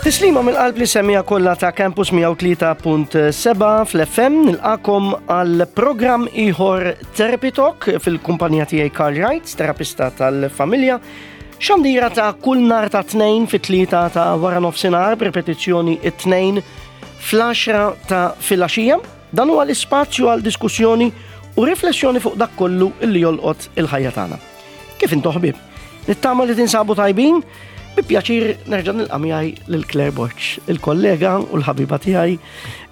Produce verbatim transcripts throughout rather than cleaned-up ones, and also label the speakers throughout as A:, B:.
A: Tislima mill-qalb lis-semmiegħa kollha ta' Campus mija u tlieta punt sebgħa fl-F M. Nilqagħkom għal programm ieħor, Therapy Talk, fil-kumpanija tiegħi Karl Wright, terapista tal-familja. Xandira ta' kull nhar ta' Tnejn fit-tlieta ta' wara nofsinhar, b'repetizzjoni it-Tnejn fl-għaxra ta' filgħaxija. Dan huwa l-ispazju għal diskussjoni u riflessjoni fuq dak kollu illi jolqot il-ħajja tagħna. Kif intom, ħbieb? Nittama li tinsabu tajbin. Bi pjaċir nerġa' nilqa' miegħi lil Claire Borg, il-kollega u l-ħabiba tiegħi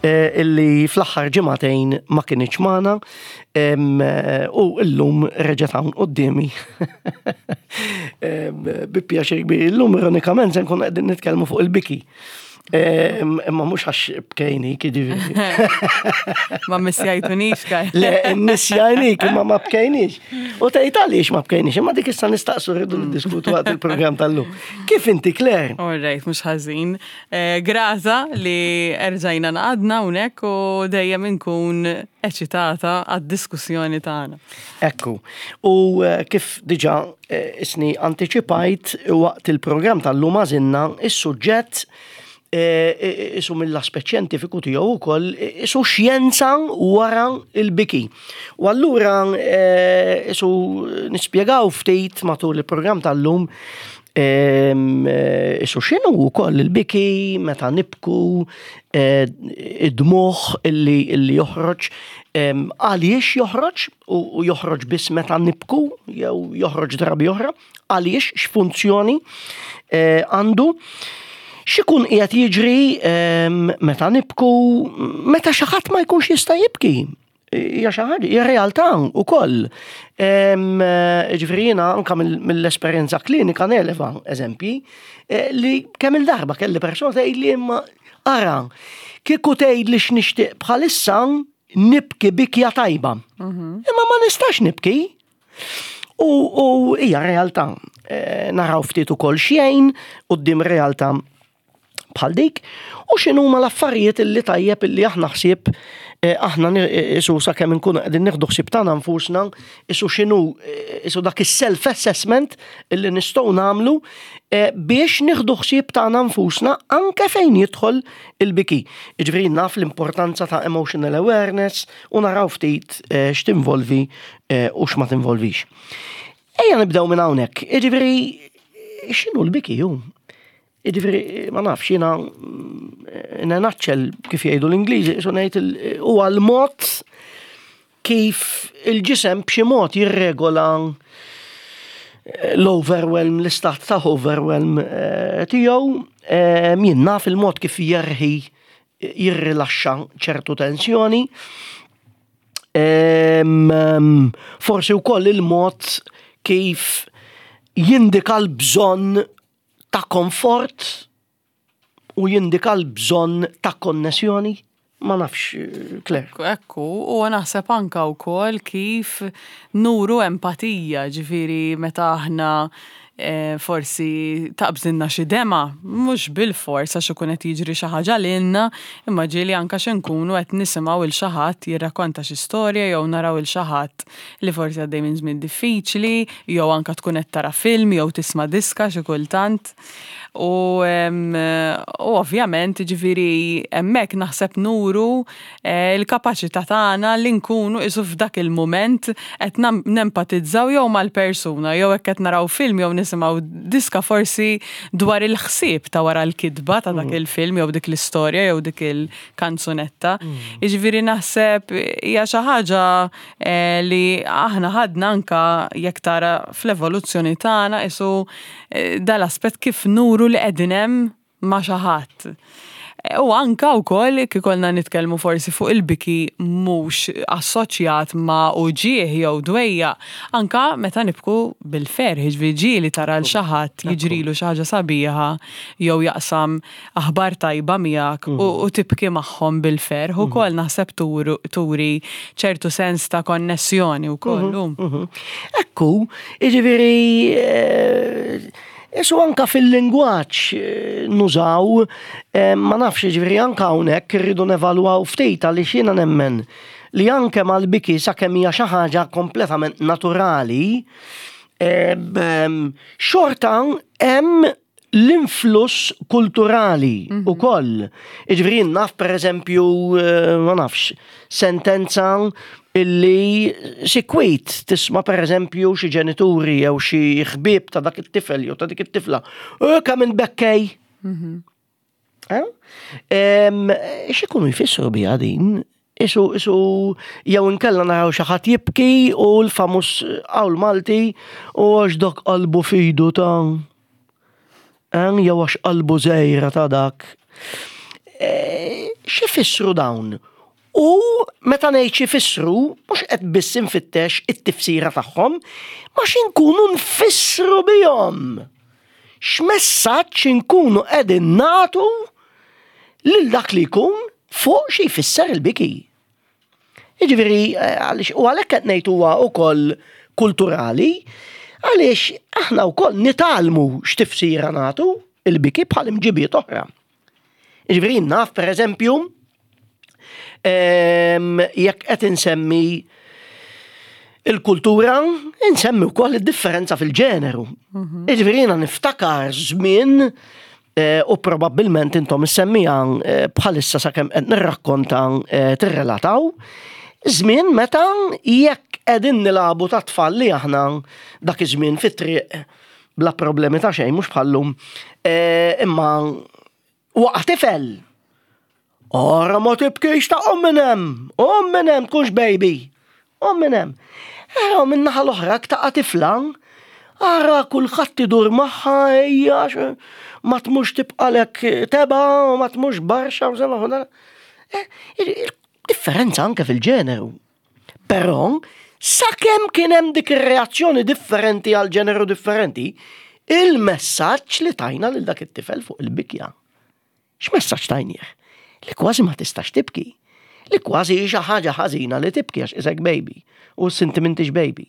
A: eh, illi fl-aħħar ġimagħtejn ma kinitx magħna em, eh, u llum reġgħet hawn quddiemi. Em, Bi pjaċir kbir. Illum ironikament se nkun qegħdin nitkellmu fuq il-biki. Em, Imma mhux għax bkejni, jiġifieri.
B: Ma missjajtunix, kaj.
A: Le, missjajnik, imma ma bkejnix. U tgħid għaliex ma bkejnix, imma dik issa nistaqsu, rridu niddiskutu waqt il-programm tal-lum. Kif inti, Claire?
B: All right, mhux ħażin. Eh, Grata li erġajna ngħaqadna hawnhekk u dejjem inkun eċitata għad-diskussjoni tagħna.
A: Ekku. U eh, kif diġà eh, isni anticipajt waqt il-programm tal-lum, għażilna is-suġġett eh, isu mill-aspett xjentifiku tiegħu wkoll, isu xjenza wara il-biki. U allura eh, isu nispjegaw ftit matul il-programm tal-lum em, eh, isu x'inhu wkoll il-biki, meta nibku, eh, id-dmugħ illi, illi joħroġ, em, għaliex joħroġ u u joħroġ biss meta nibku jew joħroġ drabi oħra, għaliex, x'funzjoni eh, għandu. X'ikun qiegħed jiġri em, meta nibku, meta xi ħadd ma jkunx jista' jibki? Hija xi ħaġa, hija realtà wkoll. Em, eh, Ġifieri jiena anke mill- mill-esperjenza klinika neleva eżempji eh, li kemm il-darba kelli persuna tgħid li imma ara, kieku tgħid li x'nixtieq bħalissa nibki bikja tajba. Imma ma nistax nibki. U, u hija realtà. Eh, naraw ftit ukoll xejn quddiem realtà bħal dik u x'inhuma l-affarijiet illi tajjeb illi aħna ħsieb eh, aħna ni- isu sakemm inkunu qegħdin nieħdu ħsieb tagħna nfusna, isu x'inhu eh, isu dak is-self assessment illi nistgħu nagħmlu eh, biex nieħdu ħsieb tagħna nfusna anke fejn jidħol il-biki. Jiġifieri naf l-importanza ta' emotional awareness u naraw ftit eh, x'tinvolvi eh, u x'ma tinvolvix. Ejja nibdew minn hawnhekk. Jiġifieri x'inhu l-biki hu? Jiġifieri, ma nafx, jiena in a nutshell, kif jgħidu l-Ingliżi, so ngħid il- huwa l-mod kif il-ġisem b'xi mod jirregola l-overwhelm, l-istat ta' overwhelm eh, tiegħu, eh, jien naf il-mod kif jerħi, jirrilaxxa ċertu tensjoni. Em, em, Forsi wkoll il-mod kif jindika l-bżonn ta' komfort u jindika l-bżonn ta' konnessjoni. Ma nafx, eh, Claire.
B: Ekku, u naħseb anka wkoll kif nuru empatija, ġifieri meta aħna eh, forsi taqbżinna xi dema, mhux bil-fors għax ikun qed jiġri xi ħaġa lilna, imma ġieli anka xi nkunu qed nisimgħu il xi ħadd jirrakkonta xi storja jew naraw il xi ħadd li forsi għaddej minn żmien diffiċli, jew anka tkun qed tara film jew tisma' diska xi kultant. U, em, u ovvjament, ġifieri, hemmhekk naħseb nuru eh, il-kapaċità tagħna li nkunu isu f'dak il-moment qed nam- nempatizzaw jew mal-persuna, jew hekk qed naraw film jew nisimgħu diska, forsi dwar il-ħsieb ta' wara l-kitba ta' dak il-film jew dik l-istorja jew dik il-kanzunetta. Jiġifieri naħseb hija xi ħaġa eh, li aħna ħadna anka jekk tara fl-evoluzzjoni tagħna isu eh, dal-aspett kif nuru li qegħdin hemm ma' xi ħadd. U anka wkoll kif ikollna nitkellmu forsi fuq il-biki mhux assoċjat ma' uġigħ jew dwejja, anka meta nibku bil-ferħ, ġifieri li tara l xi ħadd jiġrilu xi ħaġa sabiħa jew jaqsam aħbar tajba miegħek u, u tibki magħhom bil-ferħ ukoll naħseb turu- turi ċertu sens ta' konnessjoni wkoll.
A: Mhm. Ekku, jiġifieri, eh, Isu anka fil-lingwaġġ eh, nużaw, eh, ma nafx, ġifieri anka hawnhekk irridu nevalwaw ftit għaliex jiena nemmen li anke mal-biki, sakemm hija xi ħaġa kompletament naturali, eh, bem, xorta hemm L-influss kulturali mm -hmm. ukoll. Jiġifieri naf, per eżempju, eh, ma nafx, sentenza illi sikwit tisma', per eżempju, xi ġenituri jew xi ħbieb ta' dak it-tifel jew ta' dik it-tifla. "Kemm int bekkej." Mm -hmm. X'ikunu jfissru biha din? Isu, isu, jew inkella naraw xi ħadd jibki u l-famuż qawl Malti u "għax dak qalbu f'idu ta'", jew "għax qalbu żgħira ta' dak". E, x'ifissru dawn? U meta ngħid x'ifissru, mhux qed biss infittex it-tifsira tagħhom, ma x'inkunu nfissru bihom. X'messaġġ inkunu qegħdin nagħtu lil dak li jkun fuq xi jfisser il-biki? Jiġifieri, eh, u għalhekk qed ngħid huwa wkoll kulturali, għaliex aħna wkoll nitgħallmu x'tifsira nagħtu il-biki bħal imġibiet oħra. Jiġifieri naf, per eżempju, jekk qed insemmi il-kultura, insemmi wkoll id-differenza fil-ġeneru. Mhm. Jiġifieri jiena niftakar żmien eh, u probabbilment intom issemmija eh, bħalissa sakemm qed nirrakkonta eh, tirrelataw, żmien meta jekk qegħdin nilagħbu ta' tfal li aħna dak iż-żmien fit-triq bla problemi ta' xejn, mhux bħallum, imma waqa' tifel. "Ora ma tibkix ta', qum minn hemm, qum minn hemm, tkunx baby. Qum minn hemm." Ara minn naħa l-oħra taqa' tifla, ara kulħadd idur magħha, ejja, ma tmux tibqalek teba, u ma tmux barxa u żema. Eh, differenza anke fil-ġeneru. Però, sakemm kien hemm dik ir-reazzjoni differenti għal ġeneru differenti, il-messaġġ li tajna lil dak it-tifel fuq il-bikja. X'messaġġ tajnieh? Li kważi ma tistax tibki. Li kważi xi ħaġa ħażina li tibki għax isek baby u sinti m'intix baby.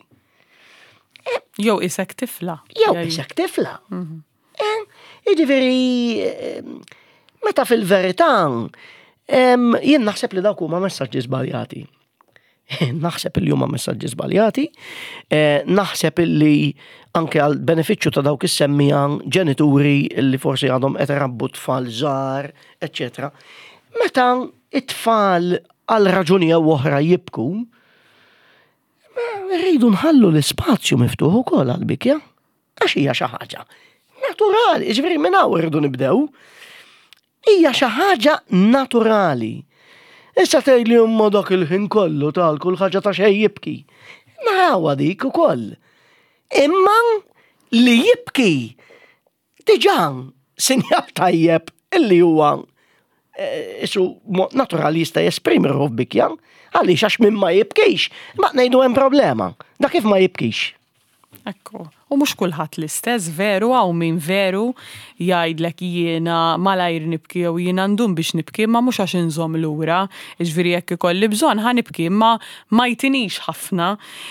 B: Jew isek tifla.
A: Jew isek tifla. Mhm. Eh, jiġifieri, meta fil-verità, jien naħseb li dawk huma messaġġi żbaljati. Naħseb li huma messaġġi żbaljati, eh, naħseb li anke għal benefiċċju ta' dawk is-semmija ġenituri li forsi għadhom qed irabbu tfal żgħar, eċċetera. Meta it-tfal għal raġuni jew oħra jibku, rridu nħallu l-ispazju miftuħ ukoll għal bikja. Għax hija xi ħaġa naturali, jiġifieri minn hawn irridu nibdew. Hija xi ħaġa naturali. Issa tgħidli, "Imma dak il-ħin kollu tal kull ħaġa ta' xejn jibki." Narawha dik ukoll. Imma li jibki diġà sinjal tajjeb illi huwa eh, isu mod naturali jista' jesprimi ruħu f'bikja, għaliex għax min ma jibkix, ma ngħidu hemm problema. Da kif ma jibkix?
B: Ekku. U mhux kulħadd l-istess, veru, hawn min veru jgħidlek "jiena malajr nibki" jew "jiena ndum biex nibki", ma mhux għax inżomm lura. Jiġifieri jekk ikolli bżonn ħa nibki, imma ma jtinix ħafna.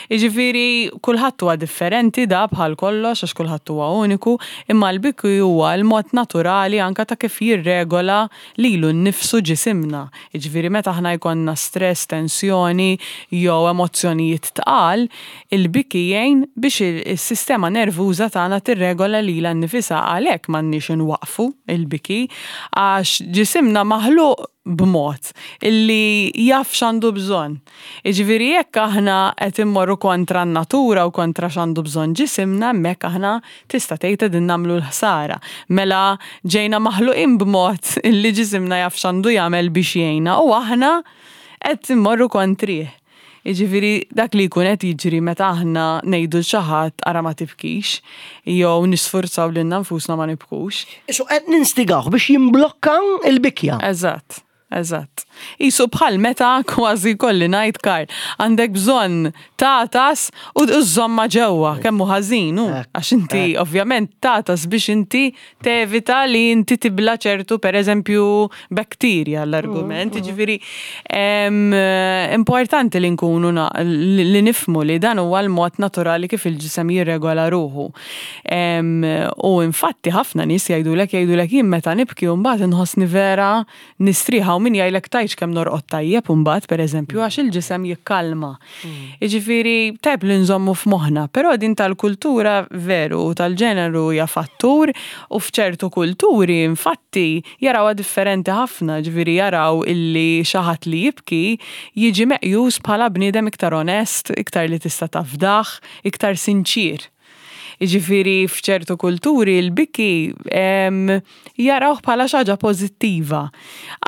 B: Jiġifieri kulħadd huwa differenti da bħal kollox għax kulħadd huwa uniku, imma l-biki huwa l-mod naturali anka ta' kif jirregola lilu nnifsu ġisimna. Jiġifieri meta aħna jkollna stress, tensjoni jew emozzjonijiet tqal, il-biki jgħin biex is-sistema nervuża tagħna tirregola lilha nnifisha. Għalhekk m'għandniex inwaqfu il-biki għax ġisimna maħluq b'mod illi jaf x'għandu bżonn. Jiġifieri jekk aħna qed immorru kontra n-natura u kontra x'għandu bżonn ġisimna, hemmhekk aħna tista' tgħid qegħdin nagħmlu l-ħsara. Mela ġejna maħluqin b'mod illi ġisimna jaf x'għandu jagħmel biex jgħinna u aħna qed immorru kontrih. Jiġifieri dak li jkun qed jiġri meta aħna ngħidu xi ħadd "ara ma tibkix" jew nisfurzaw lilna nfusna ma nibkux.
A: Isu qed ninstigawh biex jimblokka il-bikja.
B: Eżatt. Eżatt. Isu bħal meta kważi kolli ngħid, Karl, għandek bżonn tagħtas u żżommha ġewwa, kemm hu ħażin hu. Għax inti ovvjament tagħtas biex inti tevita li inti tibla ċertu, pereżempju, bakterja, l-argument. Jiġifieri importanti li nkunu li nifhmu li dan huwa l-mod naturali kif il-ġisem jirregola ruħu. U infatti ħafna nies jgħidulek jgħidulek "jien meta nibki u mbagħad inħossni vera nistrieħa". Hawn min jgħidlek tgħidx kemm norqod tajjeb imbagħad, pereżempju, għax il-ġisem jikkalma. Jiġifieri tajjeb li nżommu f'moħħna, però din tal-kultura veru tal-ġeneru hija fattur u f'ċertu kulturi infatti jarawha differenti ħafna, ġifieri jaraw illi xi ħadd li jibki jiġi meqjus bħala bniedem iktar onest, iktar li tista' tafdah, iktar sinċir. Jiġifieri f'ċertu kulturi l-biki jarawh bħala xi ħaġa pożittiva.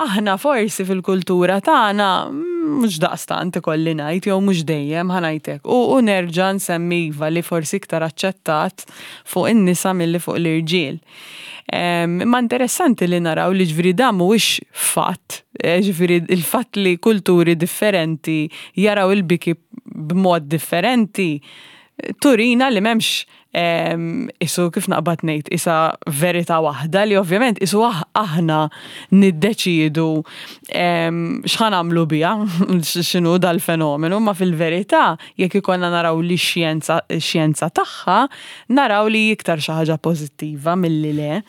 B: Aħna forsi fil-kultura tagħna mhux daqstant, ikolli ngħid, jew mhux dejjem, ħa ngħidlek. U, u nerġa' nsemmi iva li forsi iktar aċċettat fuq in-nisa milli fuq l-irġiel. Imma interessanti li naraw li ġifieri dan mhuwiex fatt, eh, ġifieri il-fatt li kulturi differenti jaraw il-biki b'mod differenti turina li m'hemmx isu, kif naqbad ngħid, isa verità waħda li ovvjament isu aħna niddeċidu x'ħa nagħmlu biha, x'inhu dal-fenomenu, ma fil-verità jekk ikollna naraw li xjenza xjenza tagħha, naraw li iktar xi ħaġa pożittiva milli le.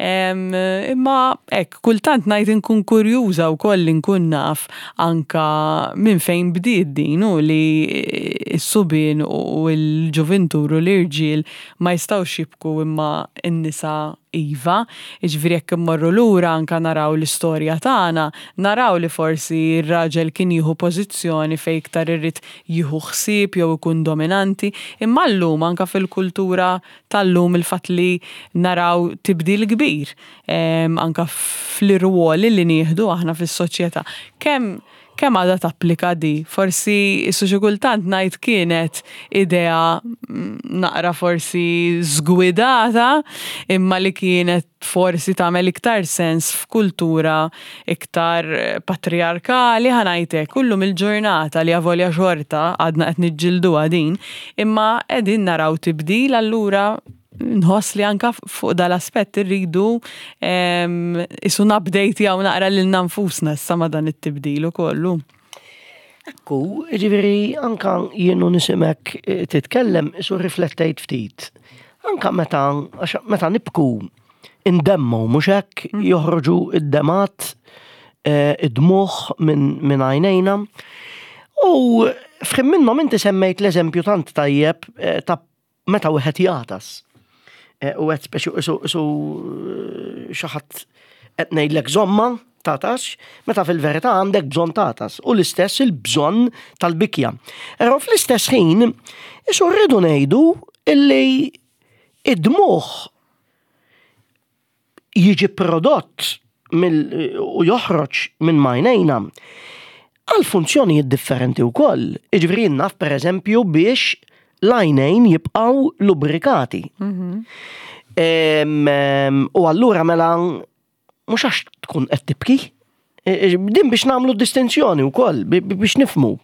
B: Imma hekk, kultant ngħid inkun kurjuża wkoll li nkun naf anka minn fejn bdiet din u li s-subien u l-ġuvintur u l-irġiel ma jistgħux jibku imma n-nisa iva. Jiġifieri jekk immorru lura anka naraw l-istorja tagħna, naraw li forsi r-raġel kien jieħu pożizzjoni fejn iktar irid jieħu ħsieb jew ikun dominanti, imma llum anka fil-kultura tal-lum il-fatt li naraw tibdil kbir anka fl-irwoli li nieħdu aħna fis-soċjetà. Kemm kemm għadha tapplika di? Forsi isu xi kultant ngħid kienet idea naqra forsi żgwidata, imma li kienet forsi tagħmel iktar sens f'kultura iktar patriarkali, ħa ngħidlek, kullum il-ġurnata li avolja xorta għadna qed niġġilduha din, imma qegħdin naraw tibdil, allura nħoss li anka fuq dal-aspett irridu isu nupdate-jaw naqra lilna nfusna issa ma' dan it-tibdil ukollu.
A: Ekku, ġifieri anka jien u nismgħek eh, titkellem isu riflettejt ftit. Anka meta, għax meta nibku indemmu, mhux hekk, mm. joħroġu id-demgħat, eh, id-dmugħ minn għajnejna. U f'ħin minnhom inti semmejt l-eżempju tant tajjeb eh, ta' meta wieħed jagħtas. U għedt speċi isu xi ħadd qed ngħidlek żomma tagħtas, meta fil-verità għandek bżonn tagħtas. U l-istess il-bżonn tal-bikja. Però fl-istess ħin, isu rridu ngħidu illi id-dmugħ jiġi prodott u joħroġ minn m'għajnejna għal funzjonijiet differenti wkoll. Jiġifieri naf, per eżempju, biex l-għajnejn jibqaw lubrikati. Mhm. U allura mela mhux għax tkun qed tibki. E, e, din biex nagħmlu distinzjoni wkoll, biex nifhmu.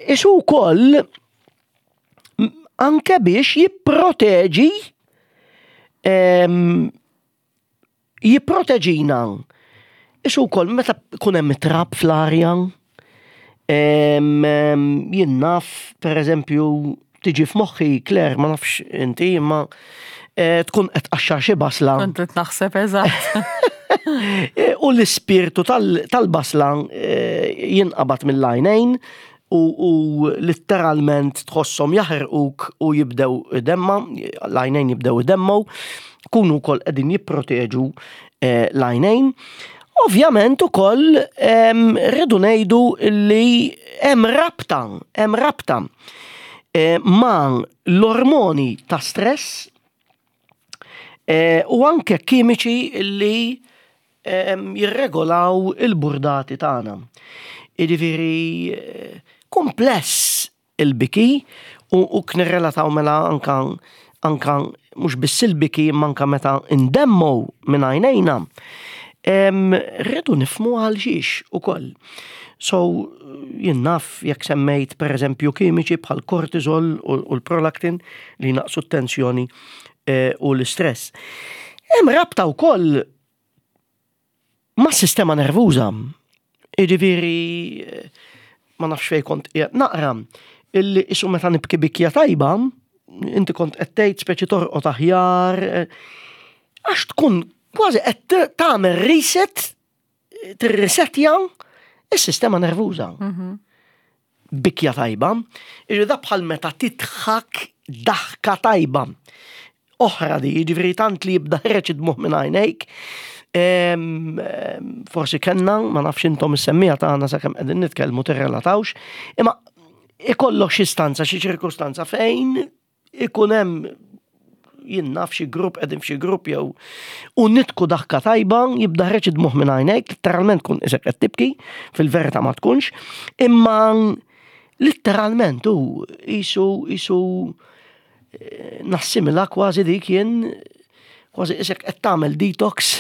A: Isu wkoll anke biex jipproteġi jipproteġina. Isu wkoll meta kun hemm trab fl-arja, jien naf, per eżempju, tiġi f'moħħi, Claire, ma nafx inti, imma eh, tkun qed tqaxxar xi basla.
B: Kont qed naħseb eżatt.
A: Eh, u l-ispirtu tal-basla eh, jinqabad mill-għajnejn u, u letteralment tħosshom jaħirquk u jibdew idemma, l-għajnejn jibdew idemmu, kunu wkoll qegħdin jipproteġu l-għajnejn. Ovvjament ukoll rridu ngħidu li hemm rabta, hemm rabta ma' l-ormoni ta' stress u anke kimiċi li jirregolaw il-burdati tagħna. Jiġifieri kumpless il-biki u, u knirrelataw mela anka anka mhux biss il-biki imma anka meta indemmu minn għajnejna. Rridu nifhmu għal xiex ukoll. So, jien naf jekk semmejt, per eżempju, kimiċi bħal kortisol u l-prolactin li naqsu t-tensjoni eh, u l-istress. Hemm rabta wkoll ma' sistema nervuża. Jiġifieri, ma nafx fej kont qiegħed naqra, illi isu meta nibki bikja tajba, inti kont qed tgħid speċi torqod aħjar, għax tkun kważi qed tagħmel reset. tirrisetja is-sistema nervuża. Bikja tajba, jiġifieri da bħal meta tidħak daħka tajba. Oħra di, jiġifieri tant li jibda ħiereġ id-dmugħ minn għajnejk. Em, em, Forsi kellna, ma nafx intom is-semmiegħa tagħna sakemm qegħdin nitkellmu tirrelatawx, imma ikollok xi stanza, xi ċirkustanza fejn ikun hemm, jien naf, xi grupp, qegħdin f'xi grupp jew u nidħku daħka tajba, jibda ħiereġ id-dmugħ minn għajnejk, literalment kun isek qed tibki, fil-verità ma tkunx, imma literalment u jisu jisu eh, nassimila kważi dik jien, kważi isek qed tagħmel detox.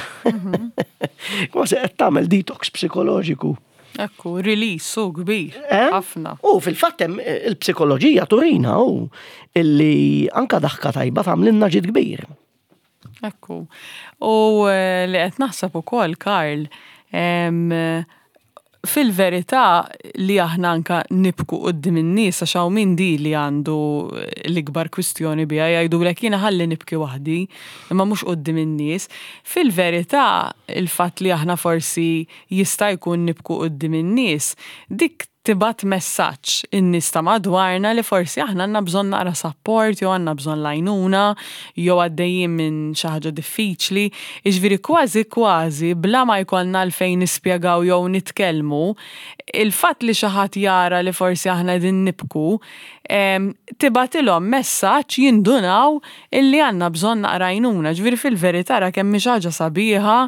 A: Kważi qed tagħmel detox psikoloġiku.
B: Ekku, release u kbir.
A: Eh?
B: Ħafna.
A: U fil-fatt hemm eh, il-psikoloġija turina u illi anka daħka tajba tagħmlilna ġid kbir.
B: Ekku. U eh, li qed naħseb ukoll, Karl, em, fil-verità li aħna anka nibku quddiem in-nies, għax hawn min di li għandu l-ikbar kwistjoni biha, jgħidulek jiena ħalli nibki waħdi, imma mhux quddiem in-nies. Fil-verità il-fatt li aħna forsi jista' jkun nibku quddiem in-nies, dik tibgħat messaġġ in-nies ta' madwarna li forsi aħna għandna bżonn naqra support jew għandna bżonn l-għajnuna jew għaddejjin minn xi ħaġa diffiċli. Jiġifieri kważi kważi bla ma jkollna għalfejn nispjegaw jew nitkellmu, il-fatt li xi ħadd jara li forsi aħna qegħdin nibku, em, tibgħatilhom messaġġ, jindunaw illi għandna bżonn naqra għajnuna. Ġifieri fil-verità ra kemm hi xi ħaġa sabiħa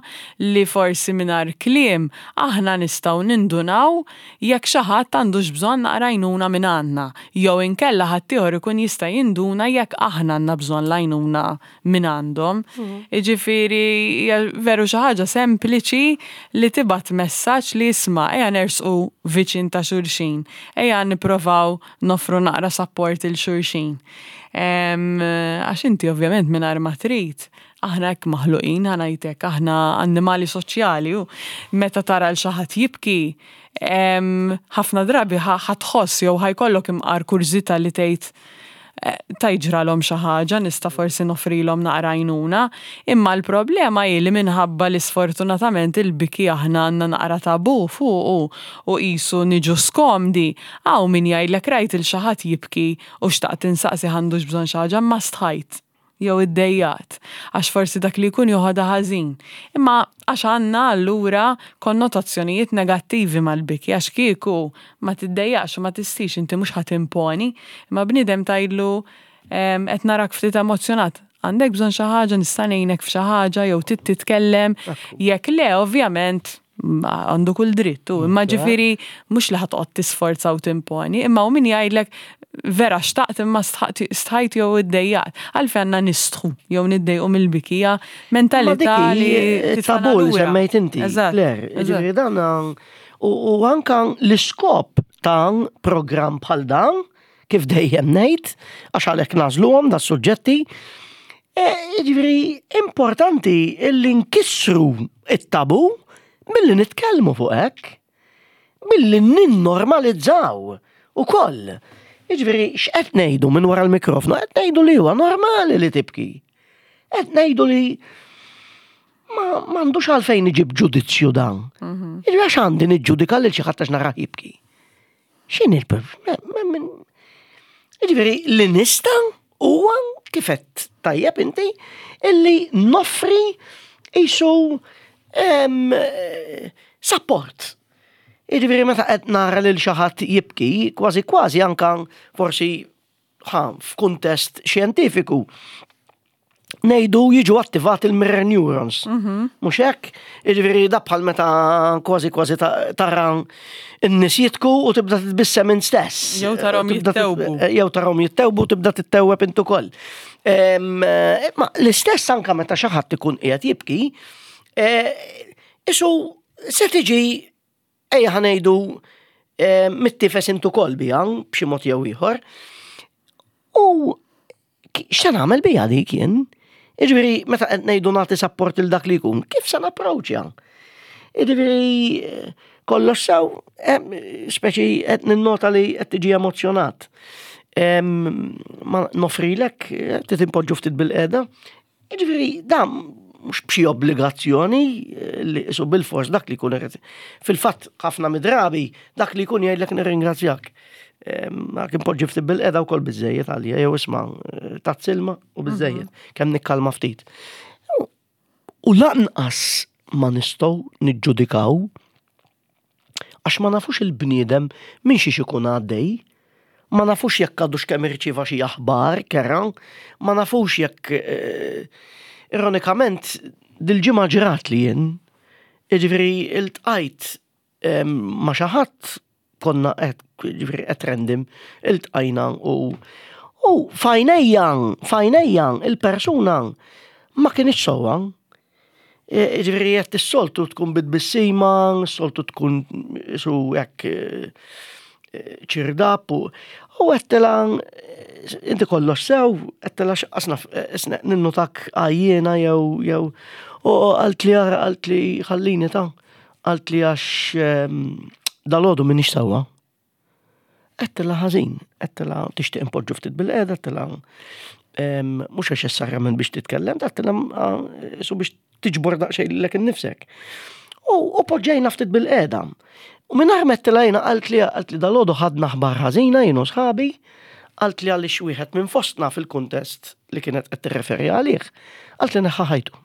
B: li forsi mingħajr kliem aħna nistgħu nindunaw jekk xi ħadd għandux bżonn naqra għajnuna minn għandna. Jew inkella ħaddieħor ikun jista' jinduna jekk aħna għandna bżonn l-għajnuna minn għandhom. Jiġifieri hija veru xi ħaġa sempliċi li tibgħat messaġġ li isma', ejja nersqu viċin ta' xulxin, ejja nipprovaw noffru naqra support il xulxin. Em, Għax inti ovvjament mingħajr ma trid, aħna hekk maħluqin, ħa ngħidlek, aħna annimali soċjali u meta tara l xi ħadd jibki, em, ħafna drabi ħa tħoss jew ħa jkollok imqar kurżità li tgħid eh, ta' jiġralhom xi ħaġa, nista' forsi noffrilhom naqra għajnuna, imma l-problema hi li minħabba li sfortunatament il-biki aħna għandna naqra tabu fuqu u qisu niġu skomdi, hawn min jgħidlek rajt il xi ħadd jibki u xtaqt insaqsi għandux bżonn xi ħaġa, ma stħajt jew iddejjaqt, għax forsi dak li jkun joħodha ħażin. Imma għax għandna allura konnotazzjonijiet negattivi mal-biki, għax kieku ma tiddejjaqx u ma tistix, inti mhux ħa timponi, imma bniedem tgħidlu em, qed narak ftit emozjonat, għandek bżonn xi ħaġa, nista' ngħinek f'xi ħaġa jew trid titkellem, jekk le, ovvjament għandu kull dritt, u imma ġifieri mhux li ħa toqgħod tisforza u timponi, imma u min jgħidlek vera xtaqt imma stħaqt- stħajt jew iddejjaqt. Għalfejn għandna nistħu jew niddejqu mill-bikija, mentalità
A: Ma
B: li
A: dik
B: titfana
A: tabu li
B: lura.
A: semmejt inti,
B: Eżatt,
A: Claire.
B: eżatt.
A: Ġifieri dan u u anka l-iskop ta' program bħal dan, kif dejjem ngħid, għax għalhekk nagħżluhom da suġġetti, e, ġifieri importanti illi nkissru it-tabu billi nitkellmu fuq hekk, billi ninnormalizzaw ukoll. Jiġifieri x'qed ngħidu minn wara l-mikrofonu? Qed ngħidu li huwa normali li tibki. Qed ngħidu li ma m'għandux għalfejn iġib ġudizzju dan. Jiġifieri għax għandi niġġudika lil xi ħadd għax narah jibki? X'inhi l Jiġifieri li nista' huwa, kif qed tajjeb inti, illi noffri isu em, eh, support. Jiġifieri meta qed nara lil xi ħadd jibki, kważi kważi anka forsi ħa f'kuntest xjentifiku ngħidu jiġu attivati il-mirror neurons. Mhux hekk? Jiġifieri da bħal meta kważi kważi ta- tara n-nies jibku u tibda titbissem int stess.
B: Jew tarahom
A: Tibda tit-
B: jittewbu.
A: Jew tarahom jittewbu, tibda tittewweb int ukoll. Em, eh, Ma l-istess anka meta xi ħadd ikun qiegħed jibki, eh, isu se tiġi, ejja ħa ngħidu, eh, mittifes int ukoll biha b'xi mod jew ieħor. U ki- x'se nagħmel biha dik jien? Jiġifieri meta qed ngħidu nagħti support il dak li jkun, kif se napproċċja? Jiġifieri eh, kollox sew, eh, speċi qed ninnota li qed tiġi emozjonat. Em, Ma nofrilek, eh, titimpoġġu ftit bil-qeda. Jiġifieri dan mhux b'xi obbligazzjoni eh, li isu bil-fors dak li jkun irid. Fil-fatt ħafna midrabi dak li jkun jgħidlek nirringrazzjak. Ma kien poġġi ftit bil-qeda wkoll biżejjed għalija jew isma' eh, tazz ilma u biżejjed kemm nikkalma ftit. U lanqas ma nistgħu niġġudikaw għax ma nafux il-bniedem minn xiex ikun għaddej, ma nafux jekk għadux kemm irċieva xi aħbar kerha, ma nafux jekk eh, ironikament dil-ġimgħa ġrat li jien, jiġifieri iltqajt em, ma' xi ħadd konna qed jiġifieri qed random iltqajna u u f'għajnejja, f'għajnejja il-persuna ma kienx sewwa. Ġifieri qed is-soltu tkun bit-tbissima, s-soltu tkun su hekk eh, ċirdap u u għedtilha inti kollox sew, għedtilha x'qasna ninnutak għajjena jew jew u qaltli ara qaltli ħallini ta' qaltli għax ehm, dalgħodu m'iniex sewwa. Għedtilha ħażin, għedtilha tixtieq impoġġu ftit bil-qeda, għedtilha em, mhux għax neċessarjament biex titkellem, għedtilha ah, su biex tiġbor daqsxejn lilek innifsek. U, u poġġejna ftit bil-qeda. U minn għedtilha jiena qaltli qaltli dalgħodu ħadna aħbar ħażina jien u sħabi, qaltli għaliex wieħed minn fostna fil-kuntest li kienet qed tirreferi għalih, qaltli neħħa ħajtu.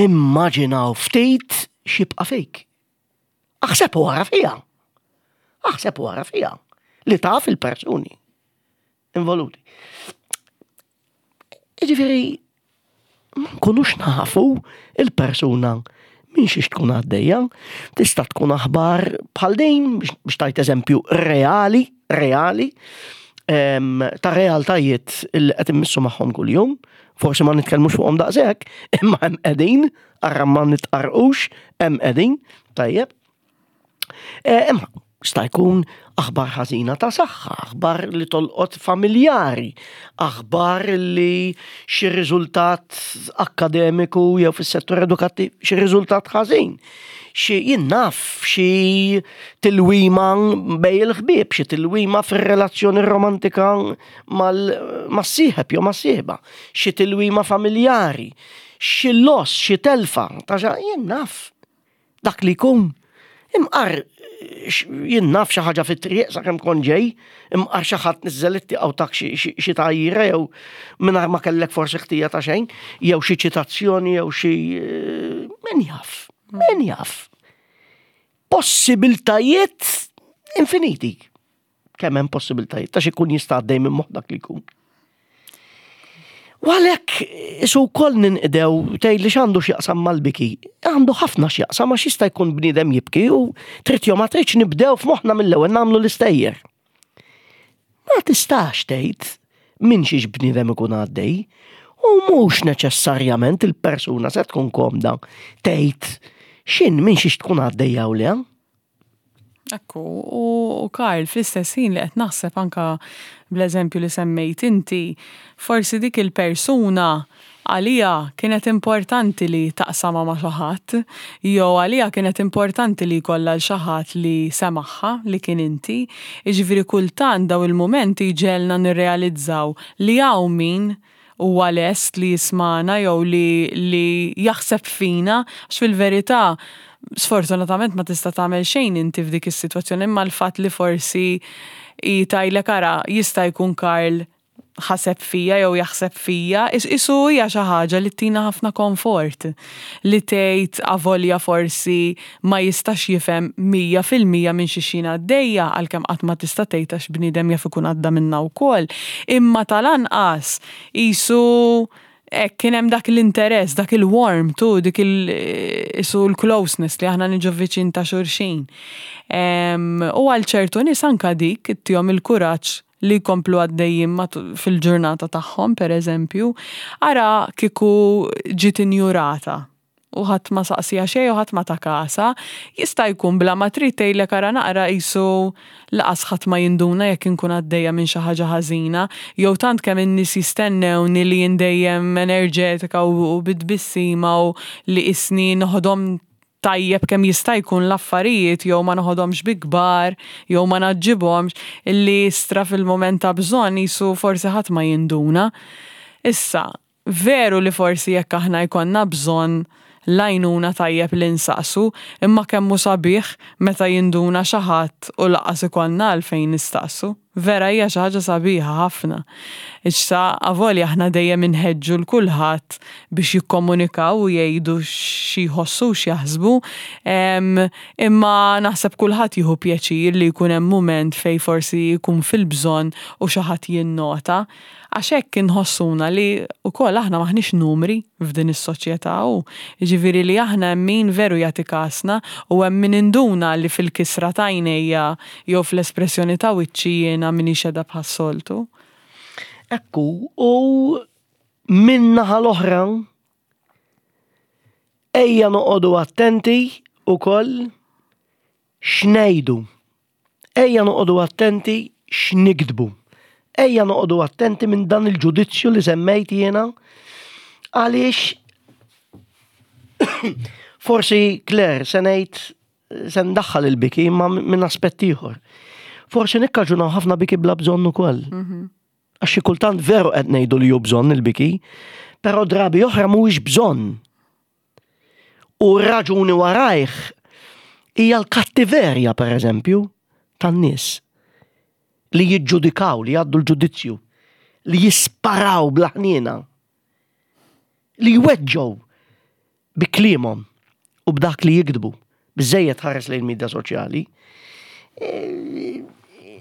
A: Immaġinaw ftit x'jibqa' fik. Aħseb u ara fija. Aħseb u ara fija. Li taf il-persuni involuti. Jiġifieri, ma nkunux nafu il-persuna minn xiex tkun għaddejja, tista' tkun aħbar bħal din biex biex tajt eżempju reali, reali, em, ta' realtajiet li qed immissu magħhom kuljum, forsi ma nitkellmux fuqhom daqshekk, imma hemm qegħdin, arra ma nitqarqux, hemm qegħdin, tajjeb. Eh, Imma sta jkun aħbar ħażina ta' saħħa, aħbar li tolqot familjari, aħbar li xi riżultat akkademiku jew fis-settur edukattiv xi riżultat ħażin. Xi jien naf xi tilwima bejn il-ħbieb, xi tilwima fir-relazzjoni romantika mal-sieħeb jew mas-sieħba, xi tilwima familjari, xi loss, xi telfa, ta' xa jien naf dak li jkun. Imqar jien naf xi ħaġa fit-triq sakemm kont ġej, imqar xi ħadd niżżel it-tieqa u tak xi xi tgħajjira jew mingħajr ma kellek forsi ħtija ta' xejn, jew xi ċitazzjoni jew xi min jaf, min jaf. Possibiltajiet infiniti. Kemm hemm possibiltajiet ta' xi jkun jista' għaddej minn moħħ dak li jkun. U għalhekk isu wkoll ninqdew tgħid li x'għandu x'jaqsam mal-biki. Għandu ħafna x'jaqsam għax jista' jkun bniedem jibki u trid jew ma tridx nibdew f'moħħna mill-ewwel nagħmlu l-istejjer. Ma tistax tgħid minn xiex bniedem ikun għaddej u mhux neċessarjament il-persuna se tkun komda tgħid x'in minn xiex tkun għaddejja u le.
B: Ekku, u, u Karl, fl-istess ħin li qed naħseb anka bl-eżempju li semmejt inti, forsi dik il-persuna għalija kienet importanti li taqsama ma' xi ħadd, jew għalija kienet importanti li jkollha l xi ħadd li semagħha li kien inti. Jiġifieri kultant daw il-mumenti jġegħelna nirrealizzaw li hawn min huwa lest li jismana jew li, li jaħseb fina, għax fil-verità sfortunatament ma tista' tagħmel xejn inti f'dik is-sitwazzjoni, imma l-fatt li forsi tgħidlek ara jista' jkun Karl ħaseb fija jew jaħseb fija, isu hija xi ħaġa li tina ħafna komfort li tgħid avolja forsi ma jistax jifhem mija fil-mija minn xi xina għaddejja għalkemm qatt ma tista' tgħid għax bniedem jaf ikun għadda minnha wkoll, imma tal-anqas isu hekk kien hemm dak l-interess, dak il-warmth, tu dik il isu l-closeness li aħna niġu viċin ta' xulxin. U għal ċertu nies anka dik ittihom il-kuraġġ li jkomplu għaddejjin fil-ġurnata tagħhom, per eżempju, ara kieku ġiet injurata u ħadd ma saqsija xejn u ħadd ma ta kasa, jista' jkun bla ma trid tgħidlek ara naqra qisu laqas ħadd ma jinduna jekk inkun għaddejja minn xi ħaġa ħażina, jew tant kemm in-nies jistennewni li jien dejjem enerġetika u bit-tbissima u li isni noħodhom tajjeb kemm jista' jkun l-affarijiet jew ma noħodhomx bi kbar jew ma naġġibhomx illi istra fil-mument ta' bżonn jisu forsi ħadd ma jinduna. Issa, Veru li forsi jekk aħna jkollna bżonn l-għajnuna tajjeb li nsaqsu, imma kemm hu sabiħ meta jinduna xi ħadd u lanqas ikollna għalfejn nistaqsu. Vera hija xi ħaġa sabiħa ħafna. Issa avolja aħna dejjem inħeġġu 'l kulħadd biex jikkomunikaw u jgħidu xi jħossu u x'jaħsbu, imma naħseb kulħadd jieħu pjaċir li jkun hemm mument fejn forsi jkun fil-bżonn u xi ħadd jinnota. Għax hekk inħossuna li wkoll aħna m'aħniex numri f'din is-soċjetà u jiġifieri li aħna hemm min veru jagħti kasna u hemm min induna li fil-kisra ta' għajnejja jew fl-espressjoni ta' wiċċi jiena m'iniex qiegħda bħas-soltu.
A: Ekku, u min-naħa l-oħra ejja noqogħdu attenti ukoll x'ngħidu. Ejja noqogħdu attenti x'niktbu. Ejja noqogħdu attenti minn dan il-ġudizzju li semmejt jiena għaliex forsi Claire se ngħid se ndaħħal il-biki imma minn aspett ieħor. Forsi nikkaġunaw ħafna biki bla bżonn ukoll. Għax xi kultant veru qed ngħidu li hu bżonn il-biki, però drabi oħra mhuwiex bżonn. U raġuni warajh hija l-kattiverja per eżempju tan-nies li jiġġudikaw, li jgħaddu l-ġudizzju, li jisparaw bla ħniena, li jweġġgħu bi kliemhom u b'dak li jiktbu, biżejjed ħares lejn media soċjali.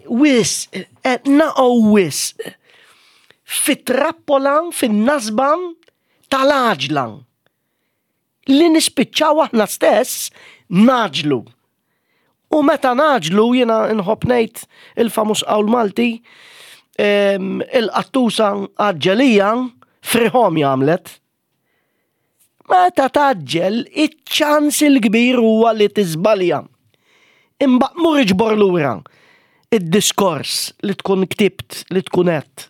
A: Wisq, naqgħu wisq, fit-trappola, fin-nasba tal-għaġla li nispiċċaw aħna stess ngħaġġlu. U meta ngħaġġlu jiena nħobb ngħid il-famuż qawl Malti, il-qattusa għaġġelija friħom għamlet. Meta tgħaġġel, iċ-ċans il-kbir huwa li tiżbalja. Imbagħad mur iġbor lura id-diskors li tkun ktibt, li tkun għedt.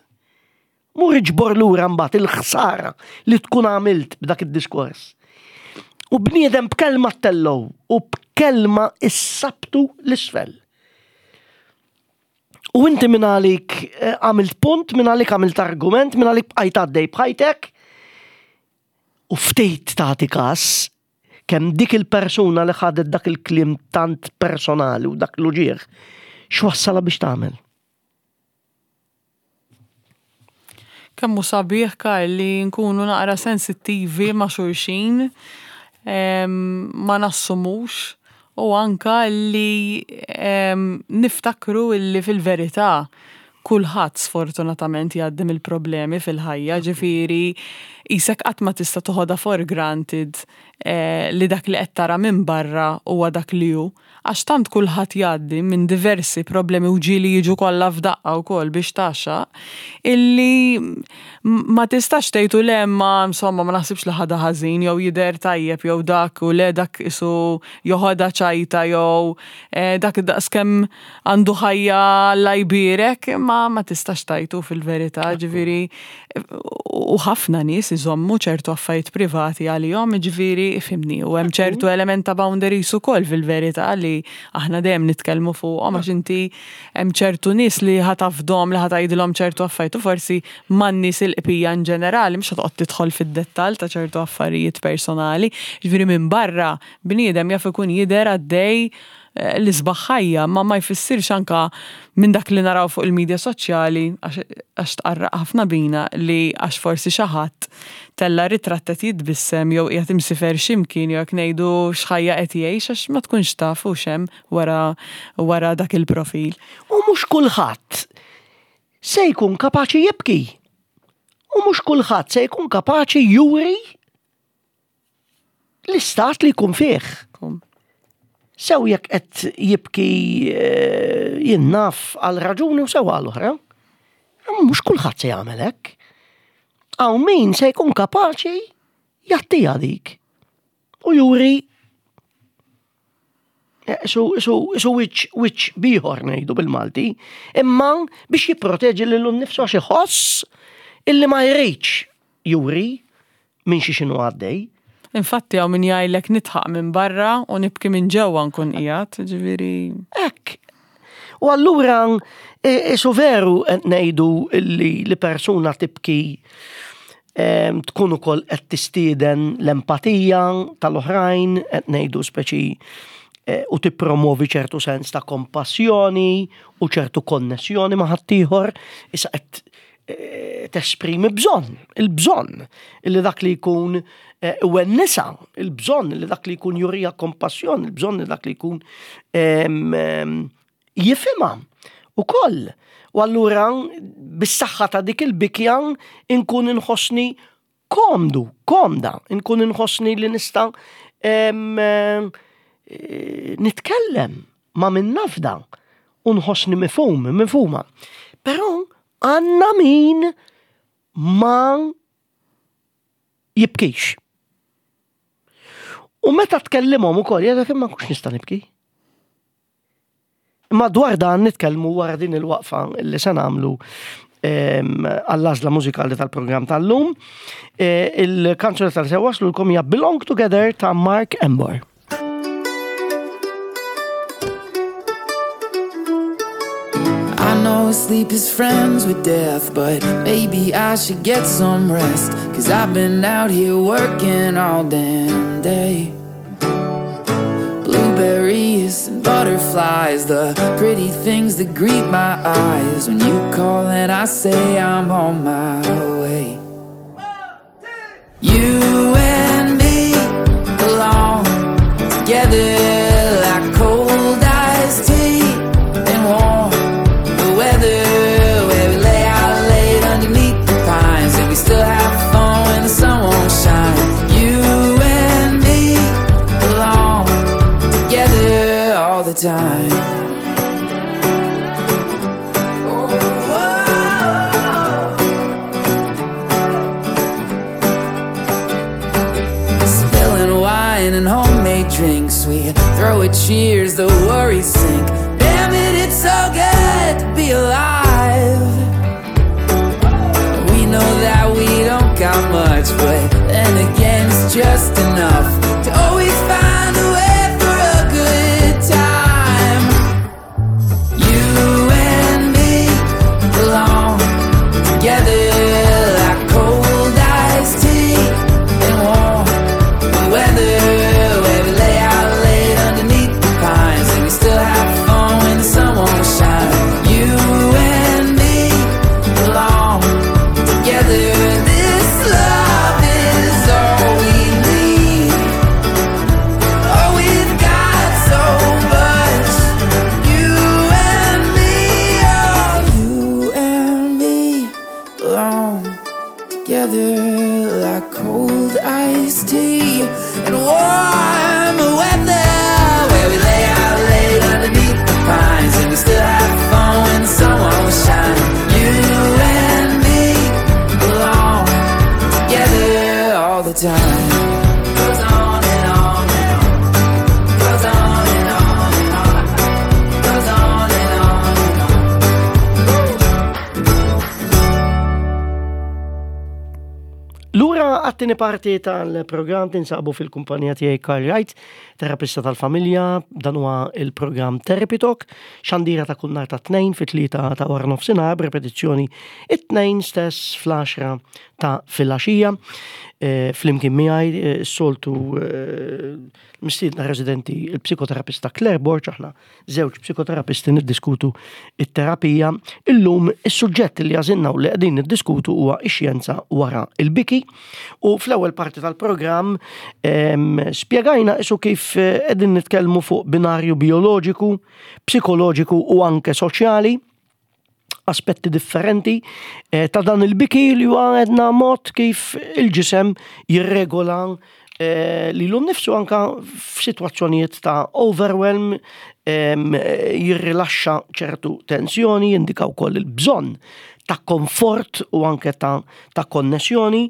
A: Mur iġbor lura mbagħad il-ħsara li tkun għamilt b'dak id-diskors. U bniedem b'kelma ttellgħu u b'kelma issabtu 'l isfel. U inti minn għalik għamilt punt, minn għalik għamilt argument, minn għalik bqajt għaddej b'ħajtek, u ftit tagħti kas kemm dik il-persuna li ħadet dak il-kliem tant personali u dak l-uġieħ, x'wassala biex tagħmel?
B: Kemm hu sabiħ, Karl, li nkunu naqra sensittivi ma' xulxin, ma nassumux, u anka li niftakru illi fil-verità kulħadd sfortunatament jgħaddi mill-problemi fil-ħajja, ġifieri isek qatt ma tista' toħodha for granted li dak li qed tara minn barra huwa dak li hu. Għax tant kulħadd jgħaddi minn diversi problemi u ġieli jiġu kollha f'daqqa wkoll biex tgħaxxaq, illi ma tistax tgħidu le ma insomma ma naħsibx li ħadha ħażin jew jidher tajjeb jew dak u le dak isu joħodha ċajta jew dak daqskemm għandu ħajja Alla jbierek, ma ma tistax tgħidu fil-verità, ġifieri u ħafna nies iżommu ċertu affarijiet privati għalihom, ġifieri ifhimni, u hemm ċertu element ta' boundaries ukoll fil-verità li aħna dejjem nitkellmu fuqhom għax inti hemm ċertu nies li ħa tafdhom li ħa tgħidilhom ċertu affarijiet u forsi man-nies il-qbija in ġenerali mhux ħa toqgħod tidħol fid-dettall ta' ċertu affarijiet personali, ġifieri minn barra bniedem jaf ikun jidher għaddej l-isbaħ ħajja, ma ma jfissirx anka minn dak li naraw fuq il-medja soċjali għax tqarraq ħafna bina li għax forsi xi ħadd tella ritratt qed jitbissem jew qiegħed imsifer x'imkien jew jekk ngħidu x'ħajja qed jgħix għax ma tkunx taf u x'hemm wara wara dak il-profil.
A: U mhux kulħadd se jkun kapaċi jibki. U mhux kulħadd se jkun kapaċi juri l-istat li jkun fih. Sew jekk qed jibki jien naf għal raġuni u sew għal oħra. Mhux kulħadd se jagħmel hekk. Hawn min se jkun kapaċi jagħtiha dik. U juri isu isu isu wiċċ wiċċ bieħor ngħidu bil-Malti, imma biex jipproteġi lilu nnifsu għax iħoss illi ma jridx juri minn xi x'inhu għaddej.
B: Infatti hawn min jgħidlek nidħaq minn barra u nibki minn ġewwa nkun qiegħed, ġifieri.
A: Hekk. U allura isu veru qed ngħidu li li persuna tibki Tkun ukoll qed tistieden l-empatija tal-oħrajn, qed ngħidu speċi u tippromovi ċertu sens ta' kompassjoni u ċertu konnessjoni ma' ħaddieħor, issa qed tesprimi bżonn, il-bżonn illi dak li jkun iwennisa, il-bżonn li dak li jkun jurija kompassjoni, il-bżonn li dak li jkun jifhimha ukoll. U allura bis-saħħa ta' dik il-bikja inkun inħossni komdu, komda, inkun inħossni li nista' nitkellem ma' min nafda u nħossni mifhum, mifhuma. Però għandna min ma jibkix. U meta tkellimhom ukoll jgħidlek imma kux nista' nibki. Imma dwar dan nitkellmu wara din il-waqfa li se nagħmlu għall-għażla mużikali tal-programm tal-lum. Il-kanzunetta li se waslulkom hija Belong Together ta' Mark Embor.
C: I know sleep is friends with death, but maybe I should get some rest, 'cause I've been out here working all damn day. Blueberries and butterflies, the pretty things that greet my eyes. When you call and I say I'm on my way. You and me belong together like cold iced tea and warm the weather, where we lay out late underneath the pines and we still have fun when the sun won't shine. You and me belong together all the time. Oh, oh. Spilling wine and homemade drinks, we throw a cheers, the worries sink. Damn it, it's so good to be alive. We know that we don't got much, but then again, it's just enough to always find a way for a good time. You and me belong together like cold iced tea and warm the weather, where we lay out late underneath the pines and we still have fun when the sun won't shine. You and me belong together. This love is all we need. Oh, we've got so much. You and me, oh, you and me belong together like cold iced tea and warm weather, where we lay out late underneath the pines and we still have fun when the sun won't shine. You and me belong together all the time. Goes on and on and on. Goes on and on and on. Goes on and on and on.
A: Lura għat-tieni parti tal-programm tinsabu fil-kumpanija tiegħi Karl Wright, terapista tal-familja, dan huwa il-programm Therapy Talk, xandira ta' kull nhar ta' tnejn fit-tlieta ta' wara nofsinhar b'repetizzjoni it-tnejn stess fl-għaxra ta' filgħaxija. Eh, Flimkien miegħi eh, s-soltu eh, mistiedna residenti il-psikoterapista Claire Borg, aħna żewġ psikoterapisti niddiskutu it-terapija. Illum is-suġġett li għażilna u li qegħdin niddiskutu huwa x-xjenza wara il-biki. U fl-ewwel parti tal-programm em, spjegajna isu kif eh, qegħdin nitkellmu fuq binarju bioloġiku, psikoloġiku u anke soċjali, aspetti differenti eh, ta' dan il-biki li huwa għedna mod kif il-ġisem jirregola eh, lilu nnifsu anka f'sitwazzjonijiet ta' overwhelm, em, jirrilaxxa ċertu tensjoni, jindika wkoll il-bżonn ta' komfort u anke ta', ta' konnessjoni.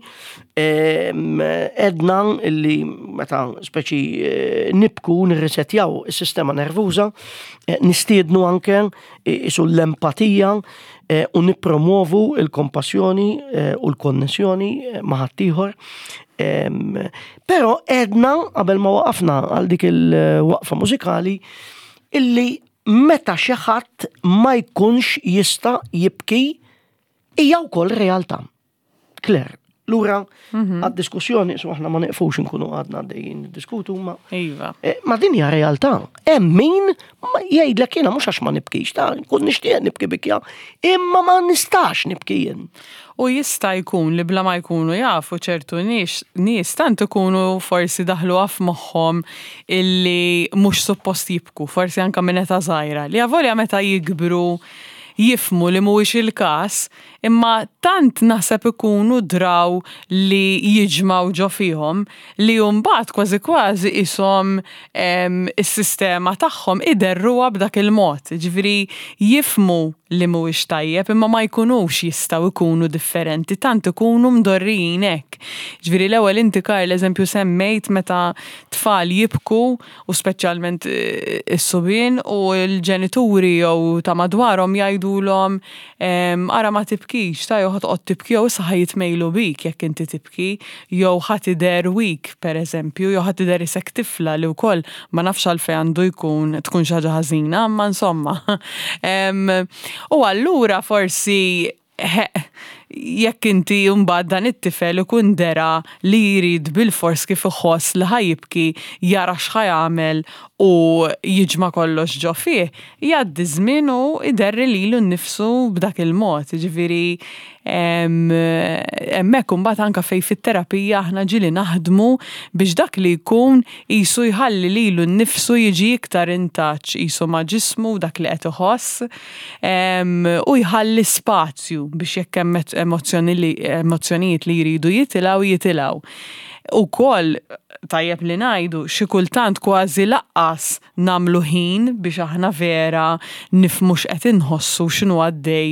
A: Em, Edna illi meta speċi eh, nibku nirrisetjaw is-sistema nervuża, eh, nistiednu anke isu l-empatija eh, u nippromovu il-kompassjoni eh, u l-konnessjoni eh, ma' ħaddieħor. Em, Però edna qabel ma waqafna għal dik il-waqfa mużikali illi meta xi ħadd ma jkunx jista' jibki hija wkoll realtà. Claire, Lura għad-diskussjoni, so aħna ma neqfux nkunu għadna għaddejjin diskutu, ma
B: Iva.
A: Eh, Ma din hija realtà. Hemm min ma jgħidlek jiena mhux għax ma nibkix, ta' nkun nixtieq nibki bikja, imma ma nistax nibki jien.
B: U jista' jkun li bla ma jkunu jafu ċertu nies nies tant ikunu forsi daħlu f'moħħhom illi mhux suppost jibku, forsi anka minn età żgħira, li avolja meta jikbru jifhmu li mhuwiex il-każ, imma tant naħseb ikunu draw li jiġmaw ġo fihom li mbagħad kważi kważi ishom em, is-sistema tagħhom iderruha b'dak il-mod. Ġifieri jifhmu li mhuwiex tajjeb imma ma jkunux jistgħu jkunu differenti, tant ikunu mdorrijin hekk. Ġifieri l-ewwel inti, Karl, eżempju semmejt meta tfal jibku u speċjalment eh, is-subien u l-ġenituri jew ta' madwarhom jgħidulhom em, ara ma tibkix, ta' jew ħa toqgħod tibki jew issa ħa jitmejlu bik jekk inti tibki, jew ħa tidher weak pereżempju, jew ħa tidher isek tifla, li wkoll ma nafx għalfejn għandu jkun tkun xi ħaġa ħażina, imma insomma. Em, U allura forsi he, jekk inti mbagħad dan it-tifel ikun dera li jrid bil-fors kif iħoss li ħa jibki, jara x'ħa jagħmel u jiġma' kollox ġo fih, jgħaddi żmien u iderri lilu nnifsu b'dak il-mod. Ġifieri em, hemmhekk imbagħad anke fejn fit-terapija aħna ġieli naħdmu biex dak li jkun qisu jħalli lilu nnifsu jiġi iktar in touch qisu ma' ġismu, dak li qed iħoss em, u jħalli spazju biex jekk hemm emozzjoni li emozzjonijiet li jridu jitilgħu, jitilgħu. Ukoll tajjeb li ngħidu, xi kultant kważi lanqas nagħmlu ħin biex aħna vera nifhmu x'qed inħossu, x'inhu għaddej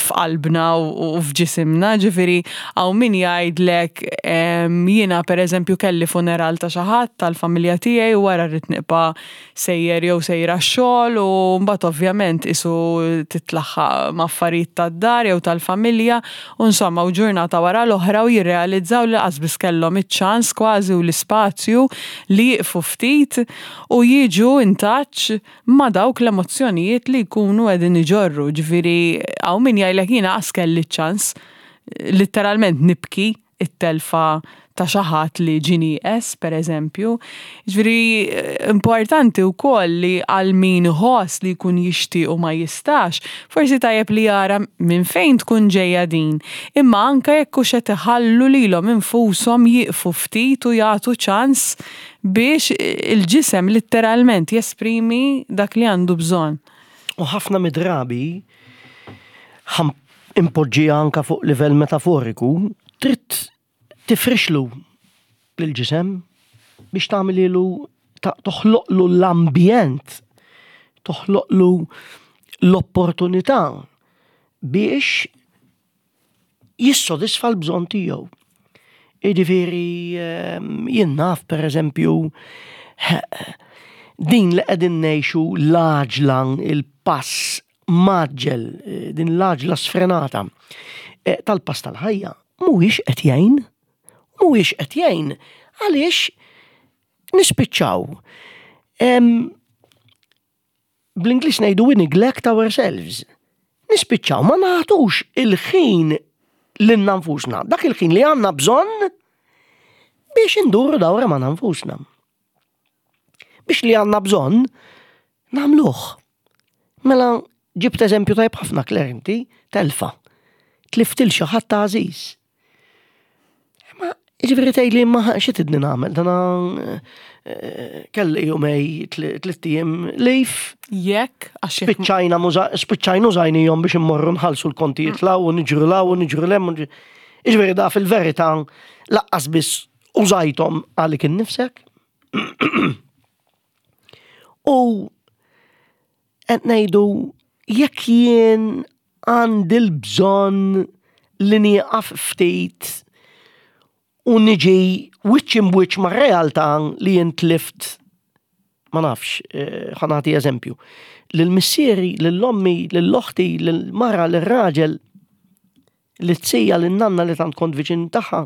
B: f'qalbna u u f'ġisimna. Ġifieri hawn min jgħidlek em, jiena pereżempju kelli funeral ta' xi ħadd tal-familja tiegħi u wara rrid nibqa' sejjer jew sejra x-xogħol u mbagħad ovvjament isu titlaħħaq ma' affarijiet tad-dar jew tal-familja u insomma u ġurnata wara l-oħra u jirrealizzaw li lanqas biss kellhom iċ-ċans kważi u l-ispazju li jieqfu ftit u jiġu in touch ma' dawk l-emozzjonijiet li jkunu qegħdin iġorru. Ġifieri hawn min jgħidlek jiena qas kelli ċ-ċans letteralment nibki it-telfa ta' xi ħadd li ġie nieqes, per eżempju. Ġifieri importanti wkoll li għal min iħoss li jkun jixtieq u ma jistax, forsi tajjeb li jara minn fejn tkun ġejja din. Imma anke jekk hux qed iħallu lilhom infushom jieqfu ftit u jagħtu ċans biex il-ġisem letteralment jesprimi dak li għandu bżonn.
A: U ħafna mid-drabi ħa npoġġiha anka fuq livell metaforiku, trid tifrixlu lill-ġisem biex tagħmililu, toħloqlu l-ambjent, toħloqlu l-opportunità biex jissodisfa l-bżonn tiegħu. Jiġifieri jien naf, per eżempju, din li qegħdin ngħixu l-għaġla, il-pass mgħaġġel, din l-għaġla sfrenata eh, tal-pass tal-ħajja, mhuwiex qed jgħin, mhuwiex qed jgħin għaliex nispiċċaw. Bl-Ingliż ngħidu "we neglect ourselves". Nispiċċaw ma nagħtux il-ħin lilna nfusna, dak il-ħin li għandna bżonn biex induru dawra ma' nfusna. Biex li għandna bżonn nagħmluh. Mela ġibt eżempju tajb ħafna, Claire, inti, telfa. Tlift lil xi ħadd għażiż. Ma ġifieri tgħidli ma xi tridni nagħmel, dana eh, kelli jumejn, tliet ijiem leave.
B: Jekk, għax jekk
A: Spiċċajna muża- spiċċajna użajnihom biex immorru nħallsu l-kontijiet 'l hawn u niġru 'l hawn u niġru 'l hemm. Ġifieri da fil-verità lanqas biss użajthom għalik innifsek. U qed ngħidu jekk jien għandi l-bżonn li nieqaf ftit u niġi wiċċ imb'wiċċ ma' realtà li jien tlift, ma nafx, eh, ħa nagħti eżempju, lil missieri, lil ommi, lil oħti, lil mara, lil raġel, lit-tija, lil nanna li tant kont viċin tagħha,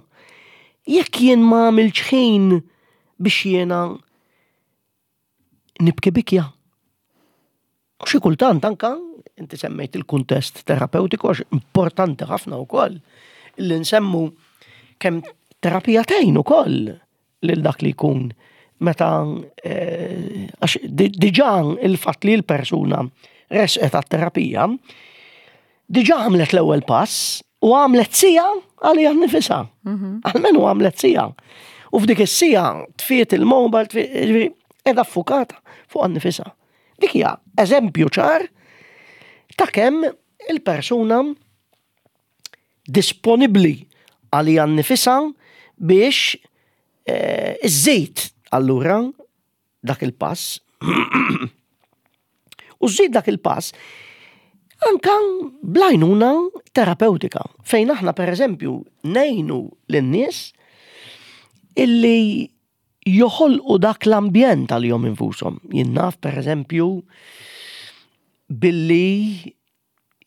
A: jekk jien ma għamilx ħin biex jiena nibki bikja. U xi kultant anka inti semmejt il-kuntest terapeutiku, għax importanti ħafna wkoll li nsemmu Kemm terapija tgħin ukoll lil dak li jkun meta eh, għax di- diġà il-fatt li l-persuna resqet għat-terapija diġà għamlet l-ewwel pass u għamlet siegħa għaliha nnifisha. Almenu għamlet siegħa. U f'dik is-siegħa tfiet il-mobile, tfiet, ġifieri, qiegħda ffukata fuqha nnifisha. Dik hija eżempju ċar ta' kemm il-persuna disponibbli għaliha nnifisha biex eh, iżżid allura dak il-pass u żżid dak il-pass anka bl-għajnuna terapeutika fejn aħna per eżempju ngħinu lin-nies illi joħolqu dak l-ambjent għalihom infushom. Jien naf per eżempju billi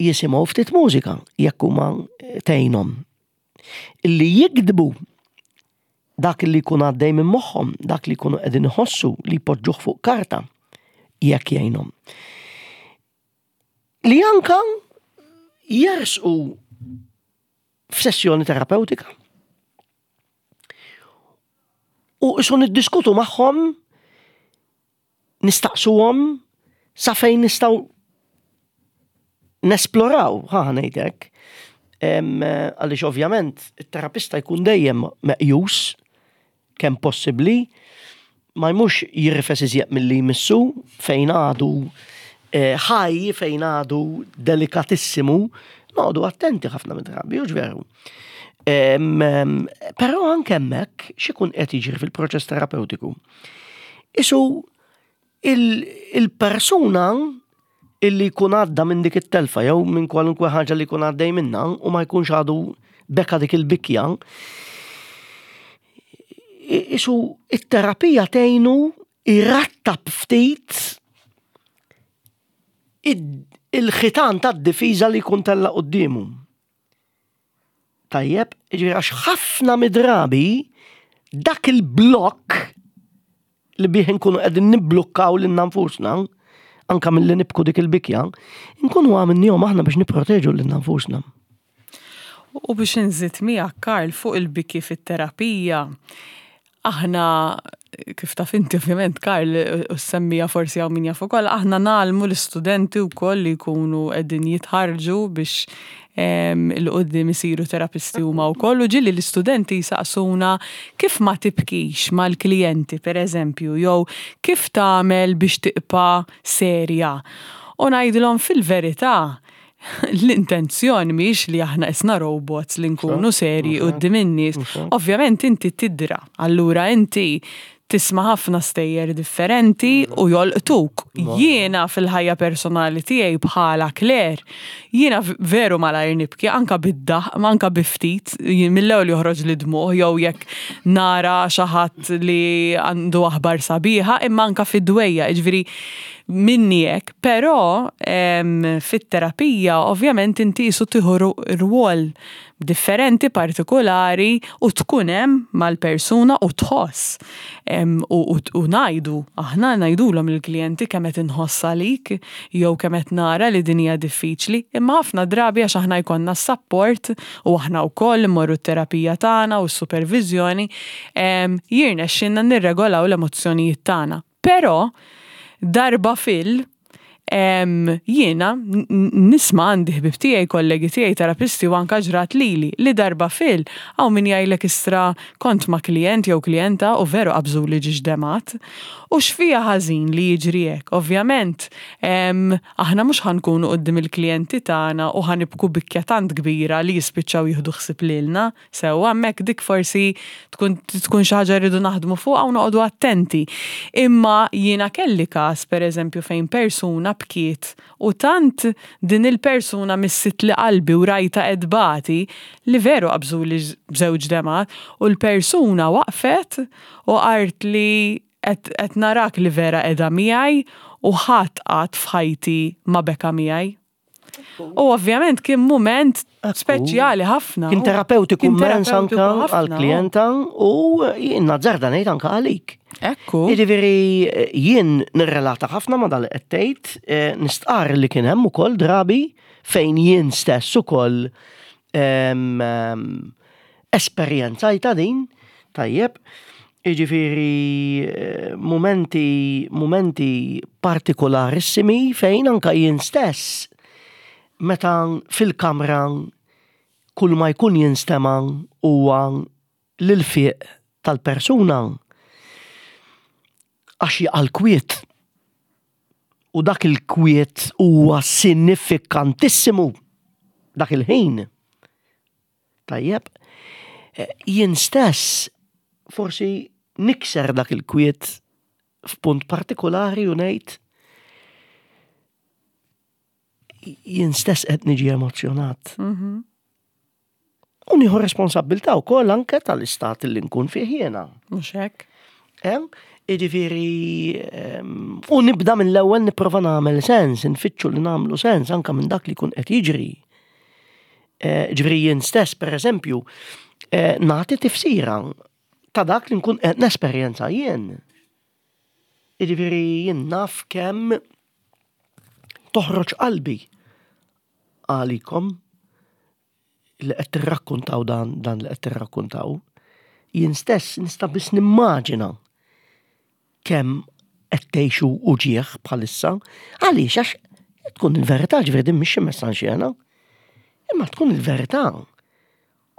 A: jisimgħu ftit mużika jekk huma tgħinhom. Illi jiktbu dak li jkun għaddej minn moħħhom, dak li jkunu qegħdin iħossu li jpoġġuh fuq karta jekk jgħinhom. Li anka jersqu f'sessjoni terapeutika. U isu niddiskutu magħhom, nistaqsuhom sa fejn nistgħu nesploraw, ħa ngħidlek. Għaliex ovvjament it-terapista jkun dejjem meqjus kemm possibbli, ma jmux jirfes iżjed milli jmissu fejn għadu eh, ħaj, fejn għadu delikatissimu, noqogħdu attenti ħafna mid-drabi, u veru. Però anke hemmhekk x'ikun qed jiġri fil-proċess terapeutiku. Isu il-persuna illi jkun għadda minn dik it-telfa jew minn kwalunkwe ħaġa li jkun għaddej minna u ma jkunx għadu beka dik il-bikja, isu it-terapija tgħinu irattab ftit il-ħitan tad-difiża li jkun tella' quddiemu. Tajjeb, ġifieri għax ħafna midrabi dak il-blokk li bih nkunu qegħdin nibblukkaw lilna nfusna, anka mill-li nibku dik il-bikja, nkunu għamilnihom aħna biex nipproteġu lilna nfusna.
B: U biex nżid miegħek Karl fuq il-biki fit-terapija, aħna kif taf inti ovvjament Karl u semmija forsi hawn min jaf ukoll, aħna ngħallmu l-istudenti wkoll li jkunu qegħdin jitħarġu biex 'il quddiem isiru terapisti huma wkoll u ġieli l-istudenti jsaqsuna kif ma tibkix mal-klijenti per eżempju, jew kif tagħmel biex tibqa' serja. U ngħidilhom fil-verità, l-intenzjoni mhix li aħna isna robots li nkunu serji quddiem in-nies. Ovvjament inti tidra, allura inti tisma' ħafna stejjer differenti u jolqtuk. Jiena fil-ħajja personali tiegħi bħala Claire, jiena veru malajr nibki anka bid-daħ, anka bi ftit, mill-ewwel joħroġ li dmuħ jew jekk nara xi ħadd li għandu aħbar sabiħa, imma anka fid-dwejja, jiġifieri minni hekk, però fit-terapija ovvjament inti jisu tieħu rwol differenti, partikolari u tkun hemm mal-persuna u tħoss. U, u, u ngħidu, aħna ngħidulhom il-klijenti kemm qed inħoss għalik jew kemm qed nara li din hija diffiċli, imma ħafna drabi għax aħna jkollna s-support u aħna wkoll immorru t-terapija tagħna u s-supervizjoni, jirnexxinna nirregolaw l-emozzjonijiet tagħna. Però darba fil jiena nisma' għandi ħbib tiegħi, kollegi tiegħi, terapisti u anka ġrat lili li darba fil hawn min jgħidlek istra kont ma' klient jew klienta u veru qabżu li ġiex demat. U x'fija ħażin li jiġri hekk. Ovvjament, aħna mhux ħa nkunu quddiem il-klijenti tagħna u ħa nibku bikja tant kbira li jispiċċaw jieħdu ħsieb lilna. Sewwa hemmhekk dik forsi tkun tkun xi ħaġa rridu naħdmu fuqha u noqogħdu attenti. Imma jiena kelli każ pereżempju fejn persuna bkiet u tant din il-persuna missit li qalbi u rajta edbati li veru qabżu li żewġ demat u l-persuna waqfet u qalt li qed narak li vera qiegħda miegħi u ħadd qatt f'ħajti ma beka miegħi. U ovvjament kien moment speċjali ħafna.
A: Kien terapeutiku immens anka għal-klienta u jien nazzarda ngħid anka għalik.
B: Ekku.
A: Jiġifieri jien nirrelata ħafna ma dal qed tgħid, eh, nistqar li kien hemm ukoll drabi fejn jien stess ukoll Esperjenzajtha din, tajjeb, jiġifieri eh, momenti, momenti partikolarissimi fejn anka jien stess meta fil-kamra kull ma jkun jinstema' huwa l-ilfiq tal-persuna għax jaqa' l-kwiet. U dak il-kwiet huwa sinifikantissimu dak il-ħin. Tajjeb, eh, jien stess forsi nikser dak il-kwiet f'punt partikolari u ngħid jien stess qed niġi emozjonat. U nieħu responsabbiltà wkoll anke tal-istat li nkun fih jiena.
B: Mhux hekk?
A: Em, Jiġifieri, em, u nibda mill-ewwel nipprova nagħmel sens, nfittxu li nagħmlu sens anke minn dak li jkun qed jiġri. Eh, Ġifieri jien stess, per eżempju, eh, nagħti tifsira ta' dak li nkun qed nesperjenza jien. Jiġifieri jien naf kemm toħroġ qalbi għalikom li qed tirrakkuntaw dan dan li qed tirrakkuntaw. Jien stess nista' biss nimmaġina kemm qed tgħixu uġieħ bħalissa. Għaliex għax tkun il-verità, ġifieri din mhix xi messa Imma tkun il-verità.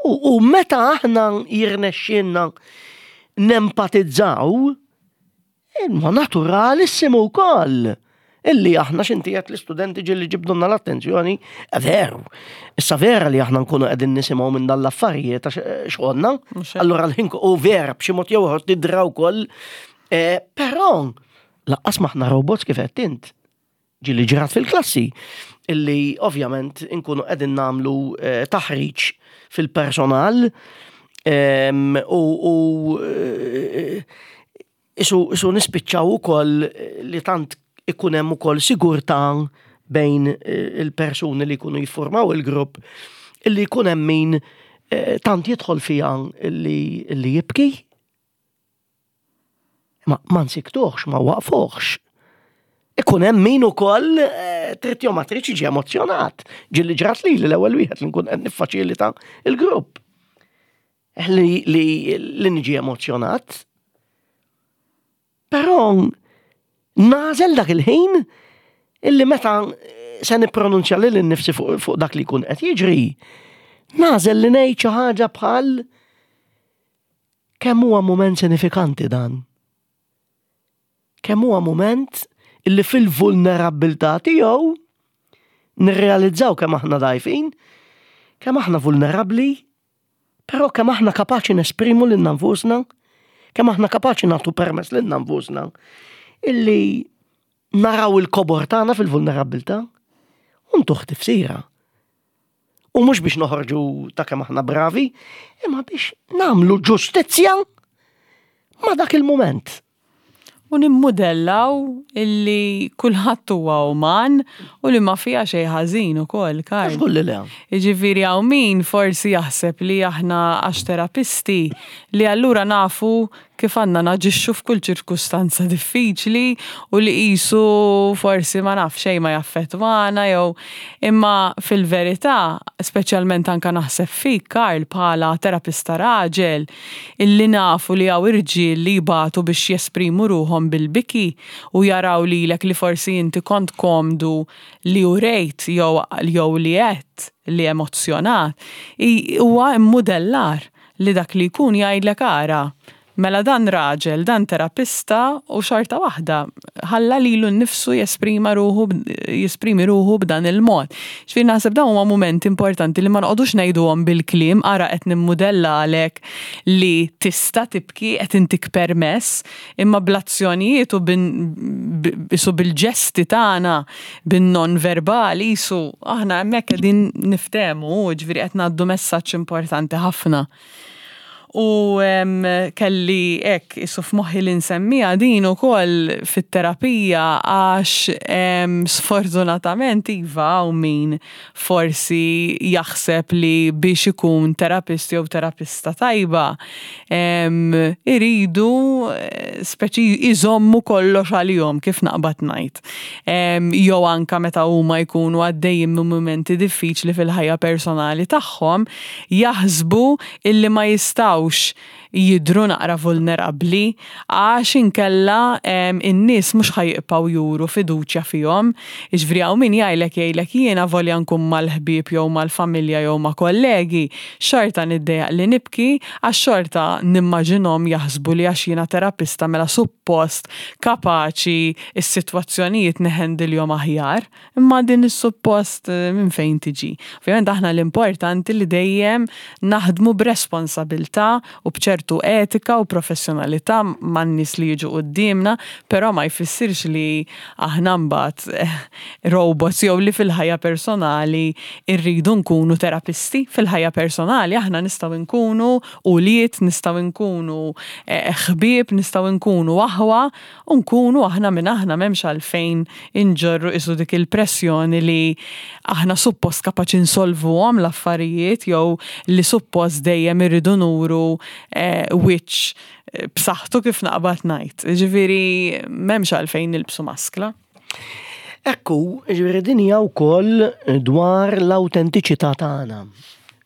A: U, u meta aħna jirnexxielna nempatizzaw, imma naturalissimu wkoll illi aħna x'inti qed l-istudenti ġieli ġibdulna l-attenzjoni, eh, veru. Issa vera li aħna nkunu qegħdin nisimgħu minn dan l-affarijiet għax eh, xogħolna,
B: Mhux hekk.
A: allura l-ħin u vera b'xi mod jew ieħor tidra wkoll, eh, però lanqas m'aħna robots kif qed int. Ġieli ġrat fil-klassi illi ovvjament inkunu qegħdin nagħmlu eh, taħriġ fil-personal em, u, u eh, isu, isu nispiċċaw ukoll li tant ikun hemm ukoll sigurtà bejn eh, il-persuni li jkunu jiffurmaw il-grupp illi jkun hemm min eh, tant jidħol fiha illi, illi jibki. Ma, ma nsiktuħx, ma waqfuħx. Ikun hemm min ukoll eh, trid jew ma tridx jiġi emozjonat. Ġieli ġrat li l-ewwel wieħed li nkun qed niffaċilita il-grupp. Li, li, li niġi emozjonat. Però nagħżel dak il-ħin illi meta se nippronunċja lili nnifsi fuq, fuq dak li jkun qed jiġri, nagħżel li ngħid xi ħaġa bħal kemm huwa mument sinifikanti dan. Kemm huwa mument illi fil-vulnerabbiltà tiegħu nirrealizzaw kemm aħna dgħajfin, kemm aħna vulnerabbli, però kemm aħna kapaċi nesprimu lilna nfusna, kemm aħna kapaċi nagħtu permess lilna nfusna illi naraw il-kobor tagħna fil-vulnerabbiltà u ntuh tifsira. U mhux biex noħorġu ta' kemm aħna bravi, imma biex nagħmlu ġustizzja ma' dak il-moment.
B: U nimmudellaw illi kulħadd huwa uman u li ma fiha xejn ħażin ukoll, Karl.
A: Żgur li le.
B: Jiġifieri hawn min forsi jaħseb li aħna għax terapisti li allura nafu kif għandna naġixxu f'kull ċirkustanza diffiċli u li qisu forsi ma naf xejn ma jaffettwana jew imma fil-verità, speċjalment anka naħseb fik Karl bħala terapista raġel, illi nafu li hawn irġiel li jbatu biex jesprimu ruħhom bil-biki u jaraw lilek li forsi inti kont komdu li urejt jew jew li għedt li emozjonat, i- huwa immudellar li dak li jkun jgħidlek ara. Mela dan raġel, dan terapista u xorta waħda ħalla lilu nnifsu jesprima ruħu jesprimi ruħu b'dan il-mod. Ġifieri naħseb dawn huma momenti importanti li ma noqogħdux ngħiduhom bil-kliem, ara qed nimmudella għalek li tista' tibki qed intik permess, imma bl-azzjonijiet u bin- b- isu bil-ġesti tagħna bin-non verbali isu aħna hemmhekk qegħdin niftehmu, ġifieri qed ngħaddu messaġġ importanti ħafna. U kelli hekk isu f'moħħi li nsemmiha din ukoll fit-terapija, għax sfortunatament iva, u min forsi jaħseb li biex ikun terapist jew terapista tajba iridu eh, speċi iżommu kollox għalihom, kif naqbad ngħid. Jew anka meta huma jkunu għaddejjin minn mumenti diffiċli fil-ħajja personali tagħhom, jaħsbu illi ma jistgħux jidru naqra vulnerabli għax inkella in-nies mhux ħa jibqgħu juru fiduċja fihom. Jiġifieri hawn min jgħidlek jgħidlek jiena volja nkun mal-ħbieb jew mal-familja jew ma' kollegi, xorta niddejjaq li nibki għax xorta nimmaġinhom jaħsbu li għax jiena terapista mela suppost kapaċi is-sitwazzjonijiet neħendilhom aħjar. Imma din is-suppost eh, minn fejn tiġi? Ovvjament aħna l-importanti li dejjem naħdmu b'responsabilità u b'ċertu etika u professjonalità man-nies li jiġu quddiemna, però ma jfissirx li aħna mbagħad eh, robots jew li fil-ħajja personali irridu nkunu terapisti. Fil-ħajja personali aħna nistgħu nkunu ulied, nistgħu nkunu eh, ħbieb, nistgħu nkunu aħwa u nkunu aħna minn aħna, m'hemmx għalfejn inġorru isu dik il-pressjoni li aħna suppost kapaċi nsolvuhom l-affarijiet jew li suppost dejjem irridu nuru eh, wiċċ eh, b'saħħtu, kif naqbad ngħid. Ġifieri m'hemmx għalfejn nilbsu maskla.
A: Ekku, ġifieri din hija wkoll dwar l-awtentiċità tagħna,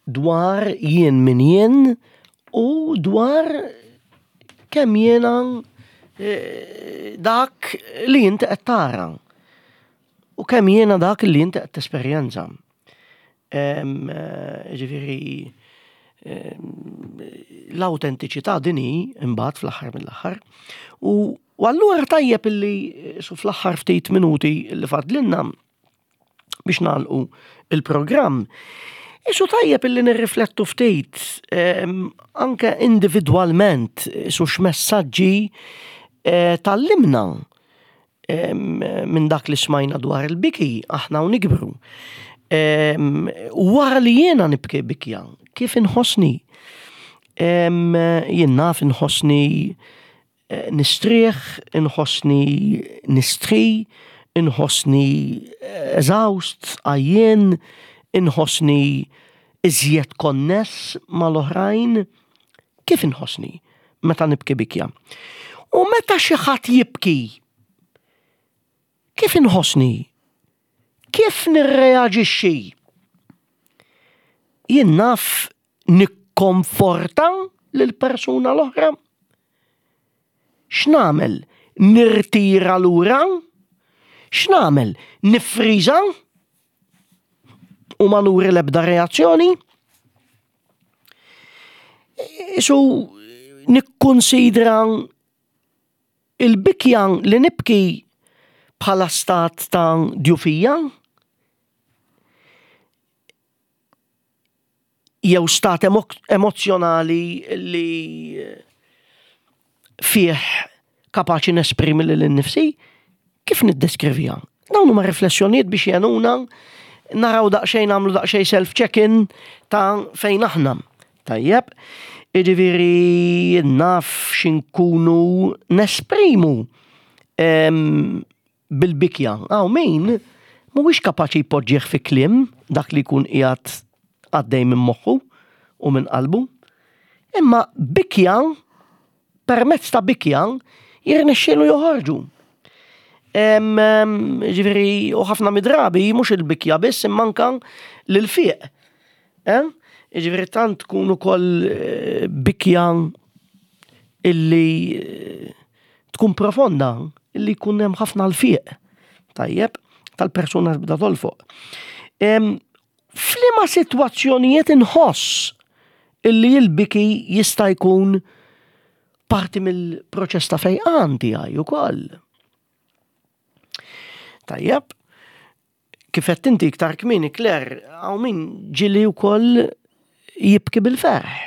A: dwar jien min jien u dwar kemm jiena eh, dak li inti qed tara. U kemm jiena dak li inti qed tesperjenza. Em, eh, Ġifieri l-awtentiċità din hi imbagħad fl-aħħar mill-aħħar. U u allura tajjeb illi su fl-aħħar ftit minuti li fadlinna biex nagħlqu il-programm. Isu tajjeb illi nirriflettu ftit em, anke individwalment su x'messaġġi eh, tgħallimna em, minn dak li smajna dwar il-biki aħna u nikbru. Em, Wara li jiena nibki bikja, kif inħossni? Em, Jien naf inħossni eh, nistrieħ, inħossni nistri, inħossni eżawst, għajjien, inħossni iżjed konness mal-oħrajn. Kif inħossni meta nibki bikja? U meta xi ħadd jibki, kif inħossni? Kif nirreaġixxi? Jien naf nikkonforta lill-persuna l-oħra? X'nagħmel? Nirtira lura? X'nagħmel? Nifriża? U ma nuri l-ebda reazzjoni? Isu nikkonsidra il-bikja li nibki bħala stat ta' djufija? Jew stat emo emozzjonali li fih kapaċi nesprimi lil innifsi? Kif niddeskrivija? Dawn huma riflessjonijiet biex jgħinuna naraw daqsxejn, nagħmlu daqsxejn self-check-in ta' fejn aħna. Tajjeb, jiġifieri naf x'inkunu nesprimu em, bil-bikja. Hawn min mhuwiex kapaċi jpoġġih fi kliem dak li jkun qiegħed għaddej minn moħħu u minn qalbu. Imma bikja, permezz ta' bikja, jirnexxielu joħorġu. Em, em, Ġifieri, u ħafna midrabi, mhux il-bikja biss, imma anka l-fiq. Eh? Ġifieri tant tkun ukoll eh, bikja illi eh, tkun profonda, illi jkun hemm ħafna l-fiq. Tajjeb, tal-persuna tibda tolfoq. Em, F'liema sitwazzjonijiet inħoss illi l-biki jista' jkun parti mill-proċess ta' fejqan tiegħi ukoll. Tajjeb, kif qed inti iktar kmieni, Claire, hawn min ġieli wkoll jibki bil-ferħ.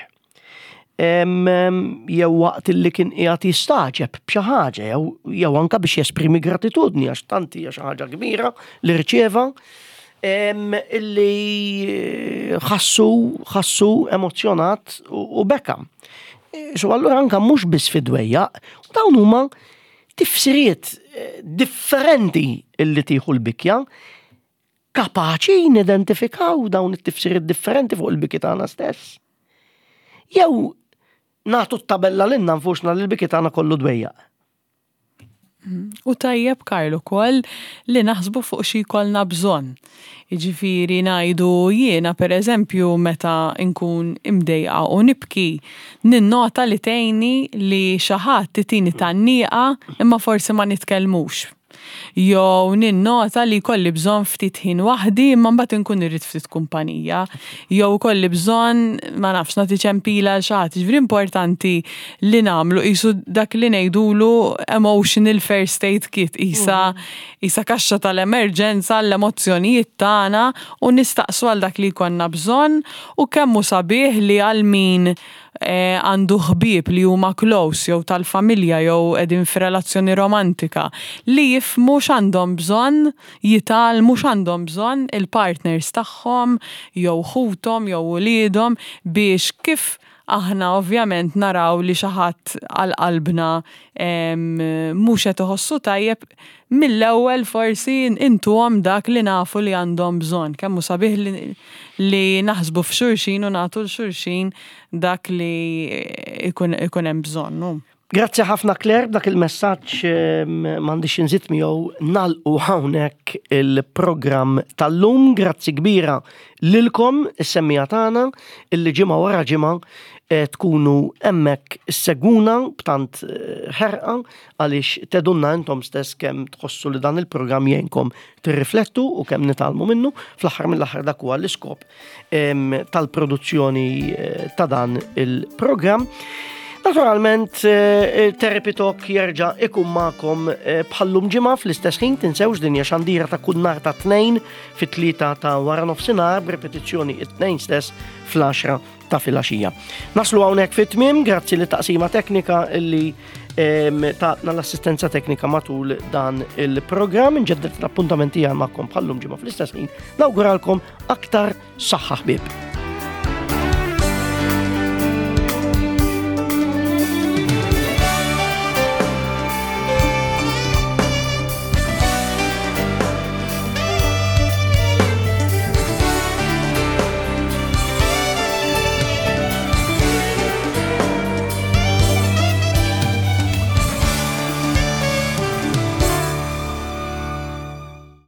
A: Em, em, Jew waqt illi kien qiegħed jistagħġeb b'xi ħaġa, jew jew anka biex jesprimi gratitudni għax tant hija xi ħaġa kbira li rċieva em, illi ħassu ħassu emozzjonat u, u beka. So allura anka mhux biss fid-dwejjaq, u dawn huma tifsiriet eh, differenti illi tieħu l-bikja, kapaċi nidentifikaw dawn it-tifsiriet differenti fuq il-biki tagħna stess. Jew nagħtu t-tabella lilna nfusna li l-biki tagħna kollu dwejjaq.
B: U tajjeb, Karl, ukoll li naħsbu fuq xi jkollna bżonn. Jiġifieri ngħidu jiena, per eżempju, meta nkun imdejqa u nibki, ninnota li tgħinni li xi ħadd itini tgħanniqa imma forsi ma nitkellmux. Jew ninnota li kolli bżonn ftit ħin waħdi imma mbagħad inkun irrid ftit kumpanija. Jew kolli bżonn, ma nafx, nagħti ċempila lil xi ħadd. Ġifieri importanti li nagħmlu qisu dak li ngħidulu emotional first aid kit, isa isa kaxxa tal-emerġenza l-emozzjonijiet tagħna u nistaqsu għal dak li jkollna bżonn. U kemm hu sabiħ li għal min eh, għandu ħbieb li huma close jew tal-familja jew qegħdin f'relazzjoni romantika li jifhmu x'għandhom bżonn, jitgħallmu x'għandhom bżonn il-partners tagħhom jew ħuthom jew uliedhom, biex kif aħna ovvjament naraw li xi ħadd għal qalbna em, mhux qed iħossu tajjeb, mill-ewwel forsi intuhom dak li nafu li għandhom bżonn. Kemm hu sabiħ li, li naħsbu f'xulxin u nagħtu 'l xulxin dak li ikun, ikun hemm bżonn. Nu.
A: Grazzi ħafna, Claire, b'dak il-messaġġ em, m'għandix inżid miegħu nagħlqu hawnhekk il-programm tal-lum. Grazzi kbira lilkom is-semmiegħa tagħna illi ġimgħa wara ġimgħa eh, tkunu hemmhekk issegwuna b'tant eh, ħerqa, għaliex tgħidulna intom stess kemm tħossu li dan il-programm jgħinkom tirriflettu u kemm nitgħallmu minnu. Fl-aħħar mill-aħħar dak huwa l-iskop em, tal-produzzjoni eh, ta' dan il-programm. Naturalment, eh, Therapy Talk jerġa' ikun magħkom eh, bħal-lum ġimgħa fl-istess ħin. Tinsewx, din hija xandira ta' kull nhar ta' Tnejn fit-tlieta ta' wara nofsinhar, b'repetizzjoni it-Tnejn stess fl-għaxra ta' filgħaxija. Naslu hawnhekk fit-tmiem, grazzi lit-taqsima teknika illi em, tatna l-assistenza teknika matul dan il-programm. Nġeddet l-appuntamenti magħkom bħal-lum ġimgħa fl-istess ħin. Nawguralkom aktar saħħa, ħbieb.